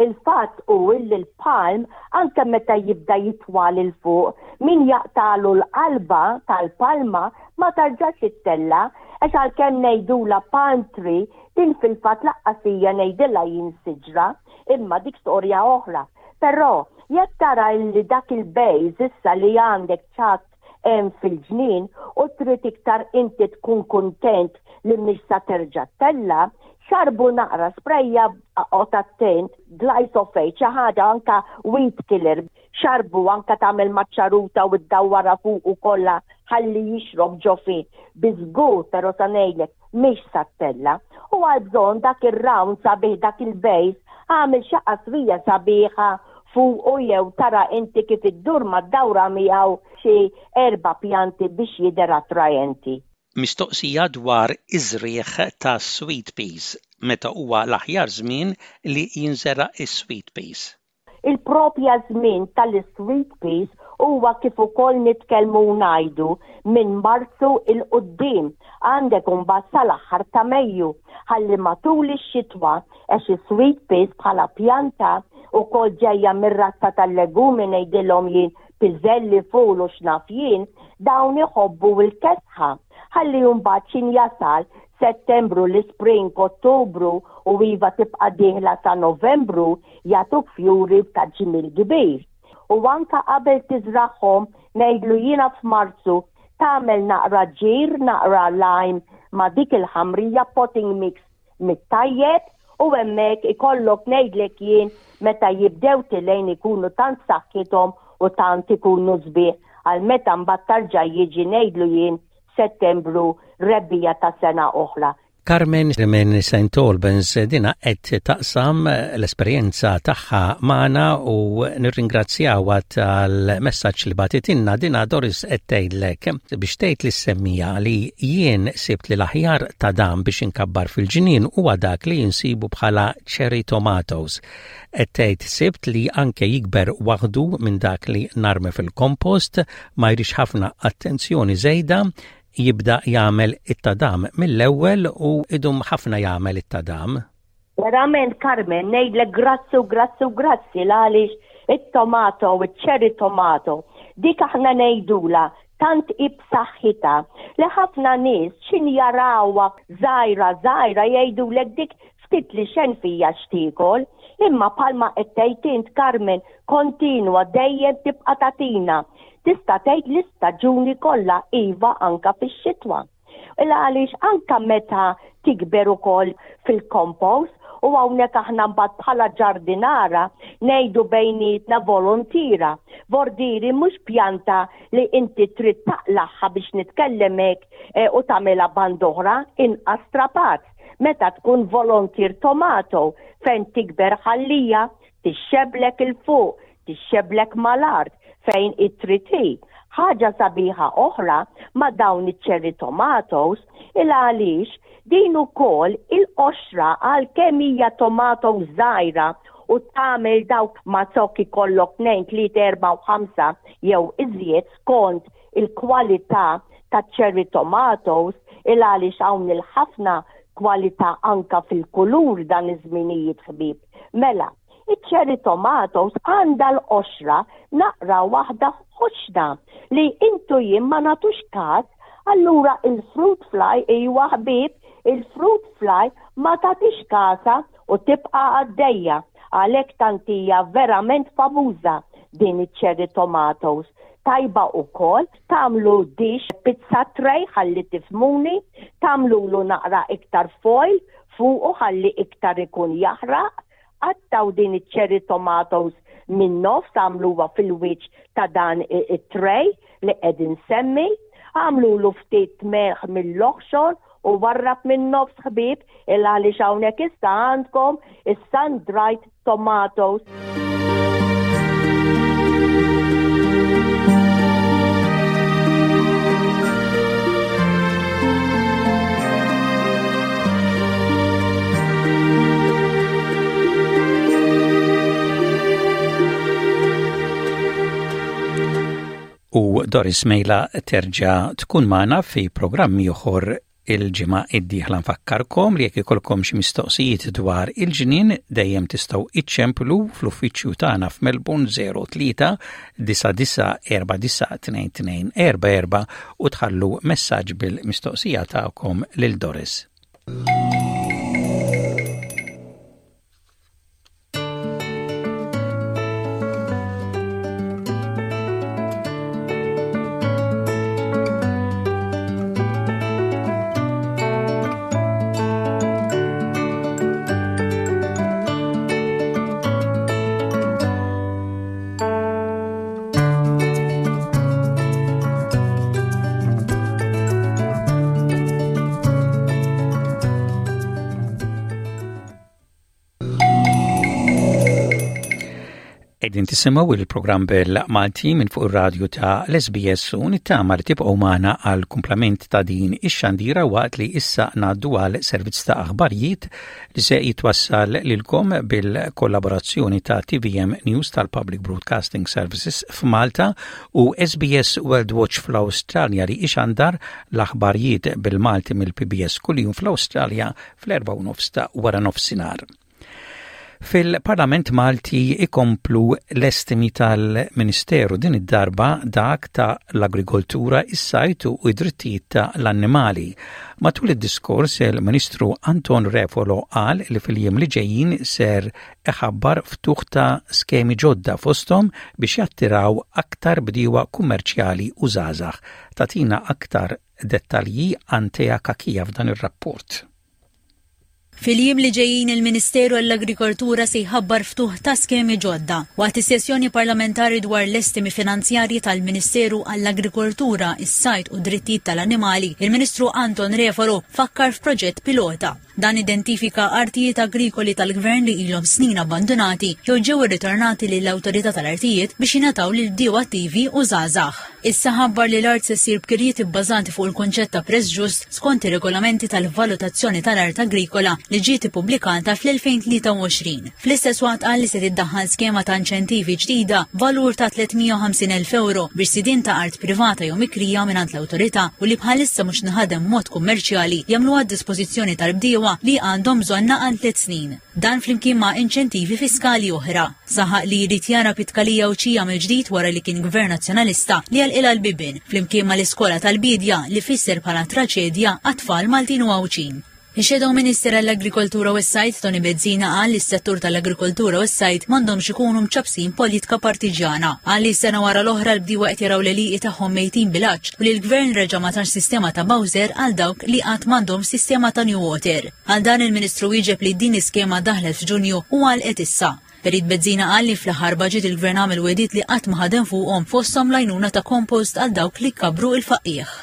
Il-fatt hu illi l-palm anke meta jibda jitwal 'il fuq, min jaqtagħlu l-qalba tal-palma ma tarġax ittella' għax għalkemm ngħidulha palm tree din fil-fatt laqqas hija ngħidilha jien siġra, imma dik storja oħra. Però jekk tara illi dak il-base issa li għandek ċatt hemm fil-ġnien u trid iktar inti tkun kuntent li mhix sa terġa' ttella', xarrbu naqra sprejja oqgħod attent, glyphosate xi ħaġa anka weed killer, xarrbu anka tagħmel maċ-ċaruta u ddawwarha fuqu kollha ħalli jixrob ġo fih. Biż-żgur però sa ngħidlek mhix sa ttella'. U għal bżonn dak ir-round sabiħ dak il-base agħmel xi qasrija sabiħa fuqu jew tara inti kif iddur mad-dawra miegħu xi erba' pjanti biex jidher attraenti. Mistoqsija dwar iż-żrigħ tas-sweet peas, meta huwa l-aħjar żmien li jinżera' s-sweet peas? Il-propja żmien tal-sweet peas huwa kif ukoll nitkellmu u ngħidu minn Marzu 'il quddiem għandek imbagħad sal-aħħar ta' Mejju ħalli matul ix-xitwa għax is-sweet peas bħala pjanta ukoll ġejja mir-razza tal-legumi ngħidilhom jien piżelli ful u x'naf jien dawn iħobbu l-kesħa ħalli mbagħad x'in jasal Settembru, l-ispring, Ottubru u iva tibqa' dieħla sa Novembru jagħtuk fjuri ta' ġmiel kbir. U anka qabel tiżragħhom ngħidlu jiena f'Marzu tagħmel naqra ġir, naqra lime ma' dik il-ħamrija potting mix mit-tajjeb u hemmhekk ikollok ngħidlek jien meta jibdew tilgħin ikunu tant saħħithom u tant ikunu sbieħ għal meta mbagħad tarġa' jiġi ngħidlu jien Settembru rebbiegħa ta' sena oħra. Carmen minn St. Albans dina qed taqsam l-esperjenza tagħha magħna u nirringrazzjawha tal-messaġġ li bagħtitilna dina Doris qed tgħidlek biex tgħid lis-semmija li jien sibt li l-aħjar ta' dan biex inkabbar fil-ġnien huwa dak li jinsibu bħala cherry tomatoes. Qed tgħid sibt li anke jikber waħdu minn dak li narmi fil-kompost, ma jridx ħafna attenzjoni żejda, jibda jagħmel it-tadam mill-ewwel u idum ħafna jagħmel it-tadam. Verament Carmen, ngħidlek grazzi u grazzi u grazzi l-għaliex it-tomato, iċ-cherry tomato, dik aħna ngħidula tant hi b'saħħitha li ħafna nies x'in jarawha żgħira żgħira jgħidulek dik ftit li xejn fija x'tiekol, imma bħalma qed tgħid int Carmen kontinwa dejjem tibqa' tagħtina. Tista' tgħid l-istaġuni kollha iva anka fix-xitwa. Il għaliex anka meta tikber ukoll fil-compost u hawnhekk aħna mbagħad bħala ġardinara ngħidu bejnietna volontira. Vordiri mhux pjanta li inti trid taqlagħha biex nitkellem hekk eh, u tagħmilha band'oħra inqas strapazz. Meta tkun volontier tomato fejn tikber ħallija tixxeblek 'il fuq, tixxeblek mal-art fejn trid hi. Ħaġa sabiħa oħra ma' dawn iċ-cherry tomatoes il għaliex din ukoll il-qoxra għalkemm hija tomato żgħira u tagħmel dawk ma' zokk ikollok tnejn, tliet, erba' u ħamsa jew iżjed skont il-kwalità taċ-cherry tomatoes il għaliex hawn il-ħafna kwalità anka fil-kulur dan iż-żminijiet ħbieb. Mela, iċ-cherry tomatoes għandha l-qoxra naqra waħda ħoxna li intu jien ma nagħtux każ, allura il-fruit fly iwa ħbieb, il-fruit fly Ma tagħtix kasha u tibqa' għaddejja. Għalhekk tant hija verament famuża din iċ-cherry tomatoes. Tajba ukoll tagħmlu dish pizza tray ħalli tifhmuni, tagħmlulu naqra iktar foil fuqu ħalli iktar ikun jaħraq. Qattgħu din iċ-cherry tomatoes min-nofs agħmluha fil-wiċċ ta' dan it-tray li qed insemmi. Agħmlulu ftit melħ mill-oħxon u warrab min-nofs ħbieb il għaliex hawnhekk issa għandkom is-sun dried tomatoes. U Doris Mejla terġa' tkun magħna fi programm ieħor il-ġimgħa d-dieħla nfakkarkom li jekk ikollkom xi mistoqsijiet dwar il-ġnien dejjem tistgħu iċċemplu fl-uffiċċju tagħna f'Melbourne 03 99492244 u tħallu messaġġ bil-mistoqsija tagħkom lil Doris. Qegħdin tisimgħu il-programm bil-Malti minn fuq ir-radju ta' l-SBS u nittama li tibqgħu magħna għal kumplament ta' din ix-xandira waqt li issa ngħaddu għal servizz ta' aħbarijiet li se jitwassal lilkom bil-kollaborazzjoni ta' TVM News tal-Public Broadcasting Services f'Malta u SBS World Watch fl-Awstralja li ixandar l-aħbarijiet bil-Malti mill-PBS kuljum fl-Awstralja fl-4:30 ta' wara nofsinhar. Fil-Parlament Malti ikomplu l-estimi tal-Ministeru din id-darba dak ta' l-agrikoltura, is-sajt u id-drittijiet ta' l-annimali. Matul id-diskors il-Ministru Anton Refolo qal li fil-jiem li ġejjin ser iħabbar ftuħ ta' skemi ġodda fosthom biex jattiraw aktar bdiewa kummerċjali u żgħażagħ. Tagħtina aktar dettalji Antea Cachia f'dan ir-rapport. Fil-jiem li ġejjin il-Ministeru għall-Agrikoltura se jħabbar ftuħ ta' skemi ġodda. Waqt is-sessjoni parlamentari dwar l-estimi finanzjarji tal-Ministeru għall-Agrikoltura, is-Sajd u d-Drittijiet tal-Annimali, il-Ministru Anton Refalo fakkar f'proġett pilota. Dan identifika artijiet agrikoli tal-gvern li ilhom snin abbandunati jew ġew irritornati lill-Awtorità tal-Artijiet biex jingħataw lil bdiewa attivi u żgħażagħ. Issa ħabbar li l-art se ssir b'kirjiet ibbażati fuq il-kunċett ta' prezz ġust skont ir-regolamenti tal-valutazzjoni tal-art agrikola li ġiet ippubblikata fl-2023. Fl-istess waqt qal li se tiddaħħal skema ta' inċentivi ġdida valur ta' 350,000 euro biex sidien ta' art privata jew mikrija mingħand l-awtorità u li bħalissa mhux tinħadem b'mod kummerċjali jagħmluha għad-dispożizzjoni tal-bdiewa li għandhom bżonnha għal tliet snin. Dan flimkien ma' inċentivi fiskali oħra. Saħaq li jrid jara Pitkalija Għawdxija mill-ġdid wara li kien Gvern Nazzjonalista li għalqilha l-bibien, flimkien mal-iskola tal-biedja li fisser bħala traċedja għat-tfal Maltin u Għawdxin. Ix-Shadow Minister għall-Agrikoltura u s-Sajd Toni Bezzina qal li s-settur tal-agrikoltura u s-sajd m'għandhomx ikunu mċappsin politika partiġjana. Qal li sena wara l-oħra l-bdiewa qed jaraw l-għelieqi tagħhom mejtin bil-għatx u li l-Gvern reġa' ma tax sistema ta' bowser għal dawk li għad m'għandhomx sistema ta' new water. Għal dan il-Ministru wieġeb li din l-iskema daħlet f'Ġunju u għalqet issa. Perit Bezzina qal li fl-aħħar budget il-Gvern għamel wegħdiet li qatt ma ħadem fuqhom fosthom l-għajnuna ta' compost għal dawk li jkabbru il-faqqiegħ.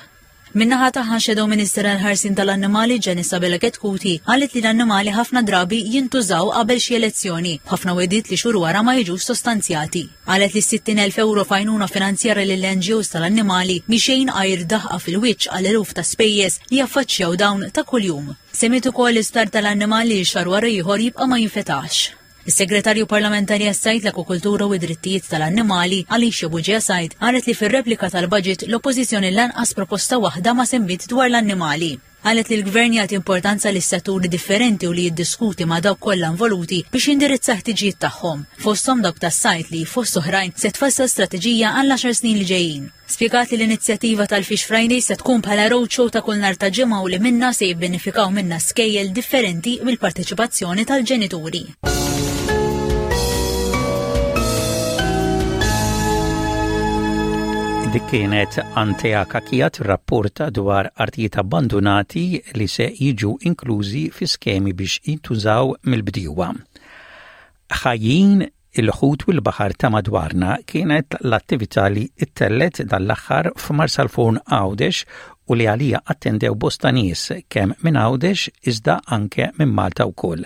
Min-naħa tagħha Shadow Minister għall-ħarsien tal-annimali Janice Abela Chetcuti qalet li l-annimali ħafna drabi jintużaw qabel xi elezzjoni, b'ħafna wegħdiet li xhur wara ma jiġux sostanzjati. Qalet li 60,000 ewro f'għajnuna finanzjarja lill-NGOs tal-annimali mhi xejn għajr daħqa fil-wiċċ għal eluf ta' spejjeż li jaffaċċjaw dawn ta' kuljum. Semmiet ukoll l-isptar tal-annimali li xahar wara ieħor jibqa' ma jinfetaħx. Is-Segretarju Parlamentari għas-Sajd, l-Akwakultura u d-Drittijiet tal-Annimali, Alicia Bugia Said, qalet li fir-replika tal-budget l-Oppożizzjoni lanqas proposta waħda ma semmiet dwar l-annimali. Qalet li l-Gvern jagħti importanza lis-setturi differenti u li jiddiskuti ma' dawk kollha involuti biex jindirizza ħtiġijiet tagħhom, fosthom dawk tas-sajd li fost oħrajn se tfassal strateġija għall-għaxar snin li ġejjin. Spjegat li l-inizjattiva tal-Fish Friday se tkun bħala roadshow ta' kull nhar ta' ġimgħa u li minnha se jibbenefikaw minnha skejjel differenti bil-parteċipazzjoni tal-ġenituri. Dik kienet Antea Kakija tirrapporta dwar artijiet abbandunati li se jiġu inklużi fi skemi biex jintużaw mill-bdiewa. Ħajjin Il-ħut u l-baħar ta' madwarna kienet l-attività li ttellgħet dan l-aħħar f'Marsalforn Għawdex u li għaliha attendew bosta nies kemm minn Għawdex iżda anke minn Malta wkoll.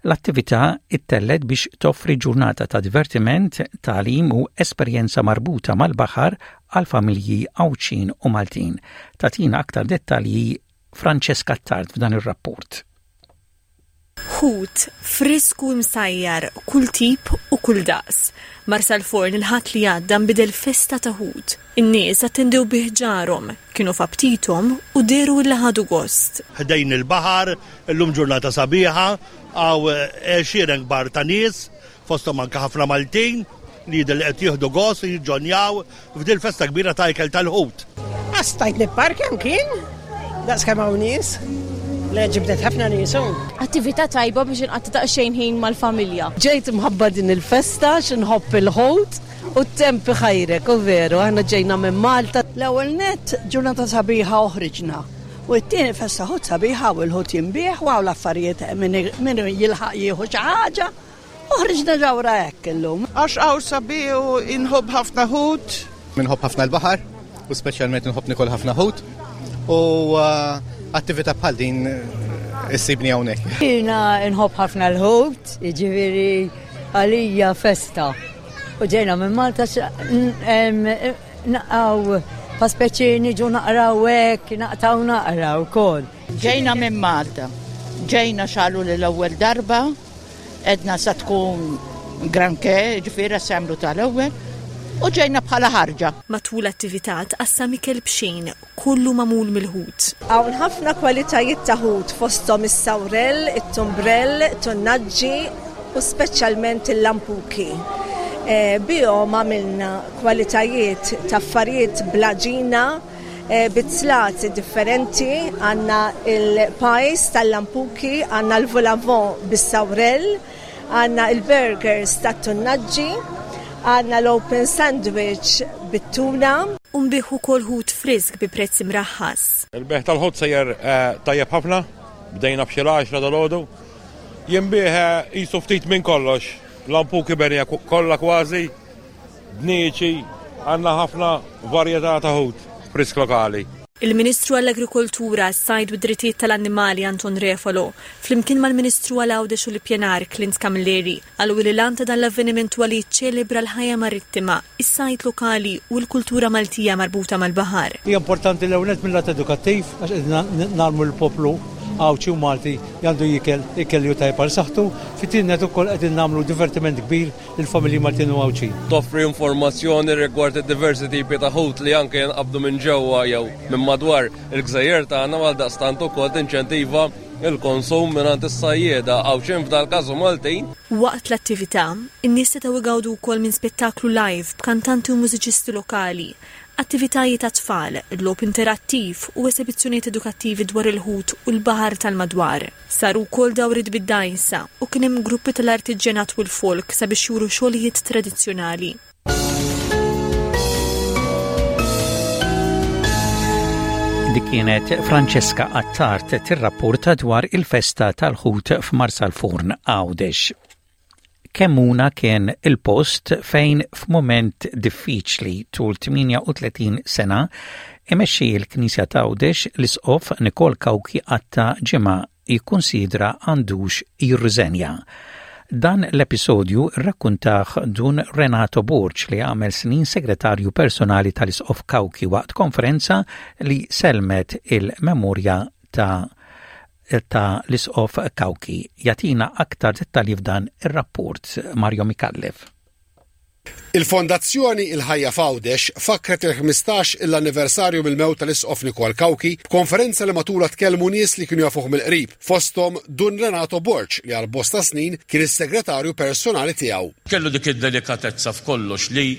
L-attività ttellgħet biex toffri ġurnata ta' divertiment, tagħlim u esperjenza marbuta mal-baħar għal familji Għawdxin u Maltin. Tagħtina aktar dettalji Francesca Attard f'dan ir-rapport. Ħut, frisk u imsajjar, kull tip u kull daqs. Marsalforn il-Ħadd li għadda nbidel f'festa ta' ħut. In-nies attendew bi ħġarhom, kienu f'aptithom u dehru illi ħadu gost. Ħdejn il-baħar, illum ġurnata sabiħa, hawn għexieren kbar ta' nies fosthom anke ħafna Maltin li jidher li qed jieħdu gost u jiġġonjaw f'dil-festa kbira ta' ikel tal-ħut. Qas stajt nipparkja mkien, daqs kemm hawn nies. Le ġibdet ħafna nies hawn. Attività tajba biex inqatta' daqsxejn ħin mal-familja. Ġejt imħabba din il-festa għax inħobb il-ħut u t-temp iħajrek, u veru, aħna ġejna minn Malta. L-ewwel nett ġurnata sabiħa u ħriġna. U t-tieni festa ħut sabiħa u l-ħut jinbiegħ u hawn l-affarijiet min jilħaq jieħu xi ħaġa. U ħriġna ġawra hekk illum. Għax hawn sabiħ u inħobb ħafna ħut. Inħobb ħafna l-baħar u speċjalment inħobb nikol ħafna ħut u uh, attività bħal din uh, issibni hawnhekk. Jiena nħobb ħafna l-ħut, jiġifieri għalija festa. U ġejna minn Malta naqgħu pa speċi niġu naqraw hekk, naqtaw naqra wkoll. Ġejna minn Malta. Ġejna xalu l-ewwel darba Edna sa tkun granché, ġifieri assemblu tal-ewwel, u ġejna bħala ħarġa. Matul l-attività tqassam ikel b'xejn, kollu magħmul mill-ħut. Hawn ħafna kwalitajiet ta' ħut fosthom is-sawrell, it-tumbrell, tunnaġġi u speċjalment il-lampuki. Bihom għamilna kwalitajiet ta' affarijiet bl-għaġina, bi zlazi differenti, għandna il-pies tal-lampuki, għandna l-volavon bis-sawrell, għandna il-burgers tat-tunnaġġi, għandna l-open sandwich bit-tuna. U nbigħ ukoll ħut frisk bi prezz imraħħas. Il-bejgħ tal-ħut sejjer tajjeb ħafna, bdejna b'xi l-għaxra dalgħodu. Jinbiegħ qisu ftit minn kollox, lampuki benija kollha kważi, Dniċi, għandna ħafna varjetà ta' ħut frisk lokali. Il-Ministru għall-Agrikoltura, s-Sajd u d-Drittijiet tal-Annimali Anton Refalo, flimkien mal-Ministru għal Għawdex u l-Ippjanar Clint Camilleri, qalu li l-għan ta' dan l-avveniment huwa li jiċċelebra l-ħajja marittima, is-sajd lokali u l-kultura Maltija marbuta mal-baħar. Hija importanti l-ewwel nett mil-lat edukattiv għax qegħdin ngħallmu lill-poplu Għawdxi u Malti li għandu jiekel ikel li hu tajjeb għal saħħtu. Fit-tieni nett ukoll qegħdin nagħmlu divertiment kbir lill-familji Maltin u Għawdxin. Toffri informazzjoni rigward id-diversi tipi ta' ħut li anke jinqabdu minn ġewwa jew minn madwar il-gżejjer tagħna u għaldaqstant ukoll tinċentiva l-konsum mingħand is-sajjieda Għawdxin f'dal-każ u Maltin. Waqt l-attività, in-nies setgħu jgawdu wkoll minn spettaklu live b'kantanti u mużiċisti lokali, attivitajiet għat-tfal, logħob interattiv u esebizzjonijiet edukattivi dwar il-ħut u l-baħar tal-madwar. Saru wkoll dawriet bid-dgħajsa u kien hemm gruppi tal-artiġġjanat u l-folk sabiex juru xogħlijiet tradizzjonali. Dik kienet Francesca Attard tirrapporta dwar il-festa tal-ħut f'Marsalforn Għawdex. Kemmuna kien il-post fejn f'mument diffiċli tul 38 sena imexxi l-Knisja t'Għawdex l-Isqof Nikol Cauchi qatta' ġimgħa jikkunsidra għandux jirriżenja. Dan l-episodju rrakkuntah Dun Renato Borg li għamel snin segretarju personali tal-Isqof Cauchi waqt konferenza li sellmet il-memorja ta' ta' l-Isqof Cauchi. Jagħtina aktar dettalji f'dan ir-rapport Mario Micallef. Il-Fondazzjoni Il-Ħajja f'Għawdex fakkret il-15 il-anniversarju mill-mewt tal-Isqof Nikol Cauchi b'konferenza li matulha tkellmu nies li kienu jafuh mill-qrib, fosthom Dun Renato Borg li għal bosta snin kien is-segretarju personali tiegħu. Kellu dik id-delikatezza f'kollox li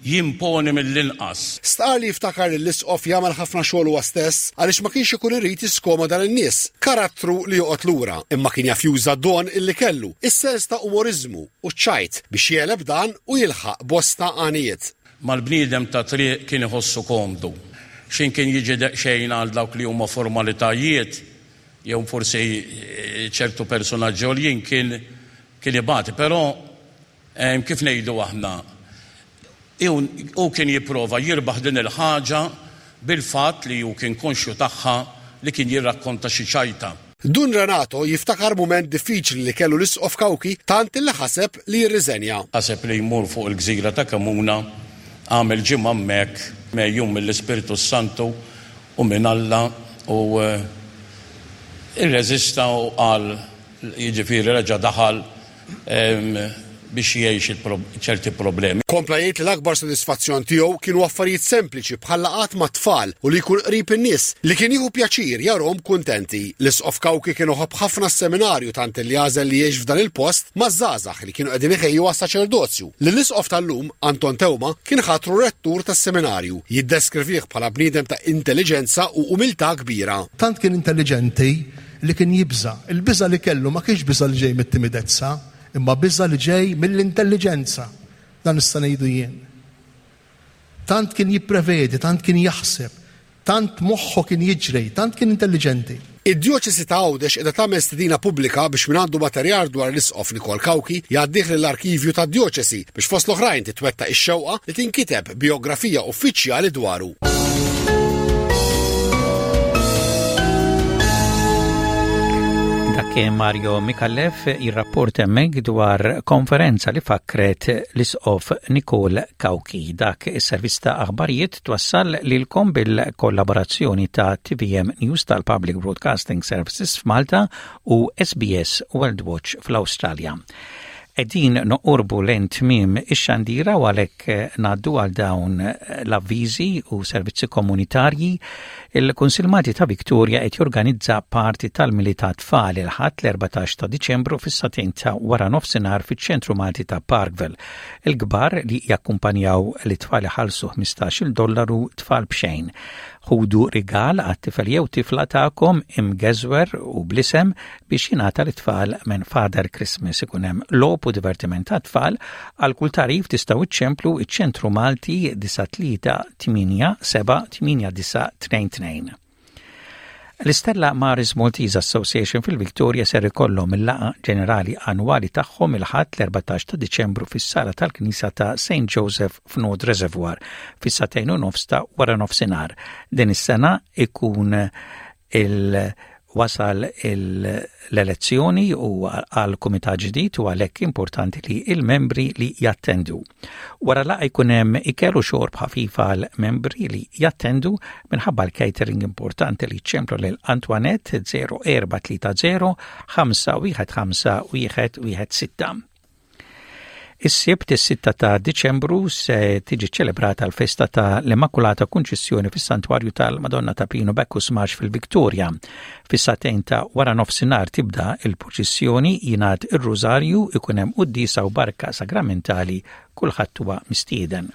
jimponi mill-inqas. Stqarr li jiftakar lill-Isqof jagħmel ħafna xogħol huwa stess għaliex ma kienx ikun irid jiskomoda lin-nies. Karattru li joqgħod lura, imma kien jaf juża d-don illi kellu, is-sens ta' umoriżmu u ċ-ċajt, biex jegħleb dan u jilħaq bosta għanijiet. Mal-bniedem tat-triq kien iħossu komdu. X'ħin kien jiġi daqsxejn għal dawk li huma formalitajiet jew forsi ċertu persunaġġi għoljin kien kien ibati, però Kif ngħidu aħna, hu kien jipprova jirbaħ din il-ħaġa bil-fatt li hu kien konxju tagħha li kien jirrakkonta xi ċajta. Dun Renato jiftakar mument diffiċli li kellu l-Isqof Cauchi tant li ħaseb li jirriżenja. Ħaseb li jmur fuq il-gżira ta' Kemuna, għamel ġimgħa hemmhekk megħjun mill-Ispirtu s-Santu u minn Alla u rreżista u qal, jiġifieri reġa' daħal biex jgħix ċerti problemi. Kompla jgħid li l-akbar sodisfazzjon tiegħu kienu affarijiet sempliċi bħal laqgħat mat-tfal u li jkun qrib in-nies li kien jieħu pjaċir jarhom kuntenti. L-Isqof Cauchi kien iħobb ħafna s-seminarju tant li għażel li jgħix f'dan il-post maż-żgħażagħ li kienu qegħdin iħejju għas-saċerdozju. Lill-Isqof tal-lum, Anton Teuma, kien ħatru rettur tas-seminarju. Jiddeskrivih bħala bniedem ta' intelliġenza u umiltà kbira. Tant kien intelliġenti li kien jibża'. Il-biża' li kellu ma kienx biża' li ġej mit-timidezza, imma biża' li ġej mill-intelliġenza. Dan nista' ngħidu jien. Tant kien jipprevedi, tant kien jaħseb, tant moħħu kien jiġri, tant kien intelliġenti. Id-Djoċesi ta' Għawdex qiegħda tagħmel stedina pubblika biex min għandu materjal dwar l-Isqof Nikol Cauchi jgħaddih lill-arkivju tad-Djoċesi biex fost l-oħrajn titwettaq ix-xewqa li tinkiteb bijografija uffiċjali dwaru. Dak Mario Mikallef jirrapport hemmhekk dwar konferenza li fakret l-Isqof Nikol Cauchi. Dak is-servizz ta' aħbarijiet twassal lilkom bil-kollaborazzjoni ta' TVM News tal-Public Broadcasting Services f'Malta u SBS World Watch fl-Awstralja. Qegħdin noqorbu lejn tmiem ix-xandira u għalhekk eh, ngħaddu għal dawn eh, l-avviżi u servizzi komunitarji. Il-Kunsill Malti ta' Victoria qed jorganizza parti tal-Militat Tfal il-Ħadd l-14 ta' Diċembru fis-sagħtejn ta' wara nofsinhar fiċ-Ċentru Malti ta' Parkville. Il-kbar li jakkumpanjaw lit-tfal iħallsu 15-il dollaru tfal b'xejn. Ħudu rigal għat-tifel jew tifla tagħkom imgeżwer u bl-isem biex jingħata lit-tfal minn Father Christmas. Ikun hemm logħob u divertiment għat-tfal. Għal kull tagħrif tistgħu iċċemplu iċ-Ċentru Malti 938 7 8922. L-Istella Maris Maltese Association fil-Victoria ser ikollhom il-laqgħa ġenerali annwali tagħhom il-Ħadd l-14 ta' Diċembru fis-sala tal-Knisja ta' St. Joseph f'North Reservoir fis-sagħtejn u nofs ta' wara nofsinhar. Din is-sena ikun il- wasal l-elezzjoni u għal kumitat ġdid u għalhekk importanti li il-membri li jattendu. Wara laqgħa jkun hemm ikel u xorb ħafif għal membri li jattendu minħabba l-catering importanti li ċemplu lil Antoinette 0430 515 116. Is-Sibt is-sitta ta' Diċembru se tiġi ċelebrata l-festa ta' l-Immakulata Kunċizzjoni fis-Santwarju tal-Madonna ta' Pinu Bacchus Marsh fil-Victoria. Fis-sagħtejn ta' wara nofsinhar tibda il-purċissjoni, jingħad ir-Rużarju, ikun hemm quddiesa u barka sagramentali, kulħadd huwa mistieden.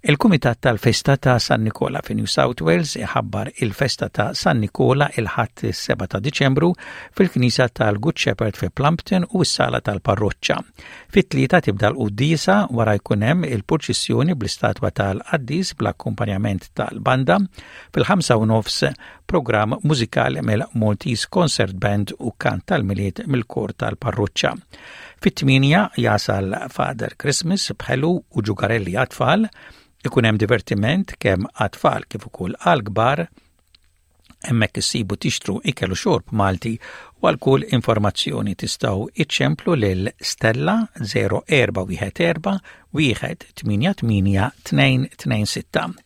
Il-Kumitat tal-Festa ta' San Nikola fi New South Wales iħabbar il-festa ta' San Nikola il-Ħadd is-7 ta' Diċembru fil-Knisja tal-Good Shepherd fi Plumpton u s-sala tal-parroċċa. Fit-tlieta tibda l-quddiesa wara jkun hemm il-purċissjoni bl-istatwa tal-qaddis bl-akkumpanjament tal-banda. Fil-ħamsa u nofs programm mużikali mill-Maltese Concert Band u kant tal-Milied mill-kor tal-parroċċa. Fit-tmienja jasal Father Christmas b'ħelu u ġugarelli għat-tfal, ikun hemm divertiment kemm għat-tfal kif ukoll għall-kbar, hemmhekk issibu tixtru ikel u xorb Malti u għal kull informazzjoni tistgħu iċċemplu lil Stella 0414 188 226.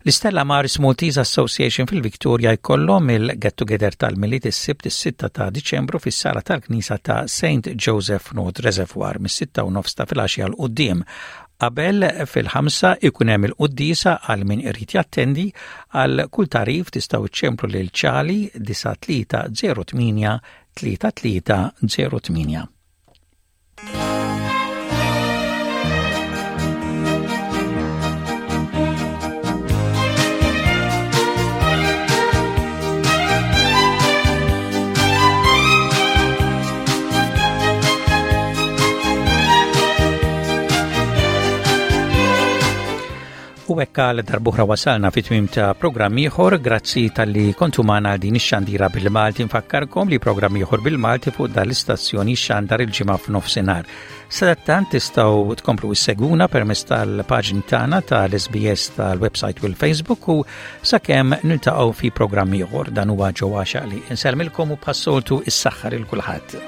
L-Istella Maris Maltese Association fil-Victoria jkollhom il-Get Together tal-Milied is-Sibt is-6 ta' Diċembru fis-sala tal-Knisja ta' St. Joseph North Reservoir mis-6 u nofs ta' filgħaxija 'l quddiem. Qabel fil-ħamsa ikun hemm il-quddiesa għal min irid jattendi għal kull tagħrif tistgħu iċċemplu lil Ċali 9308 3308. U hekk għal darbuħra wasalna fi tmim ta' programm ieħor, grazzi tal-li kontu magħna għal din ix-xandira bil-Malti nfakkarkom li programm ieħor bil-Malti fuq dan l-istazzjoni xandar il-ġimgħa f'nofsinhar. Sadattant tistgħu tkomplu isseguna permezz tal-paġni tagħna tal-SBS tal-website u l-Facebook u sakemm niltaqgħu fi programm ieħor dan huwa ġewwa li insellmilkom u bħas-soltu is-saħħa lil kulħadd.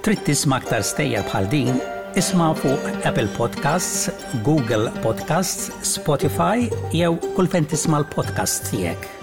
Trid tisma' aktar stejjer bħal din? Isma' fuq Apple Podcasts, Google Podcasts, Spotify jew kull fejn tisma' l-podcasts tiegħek.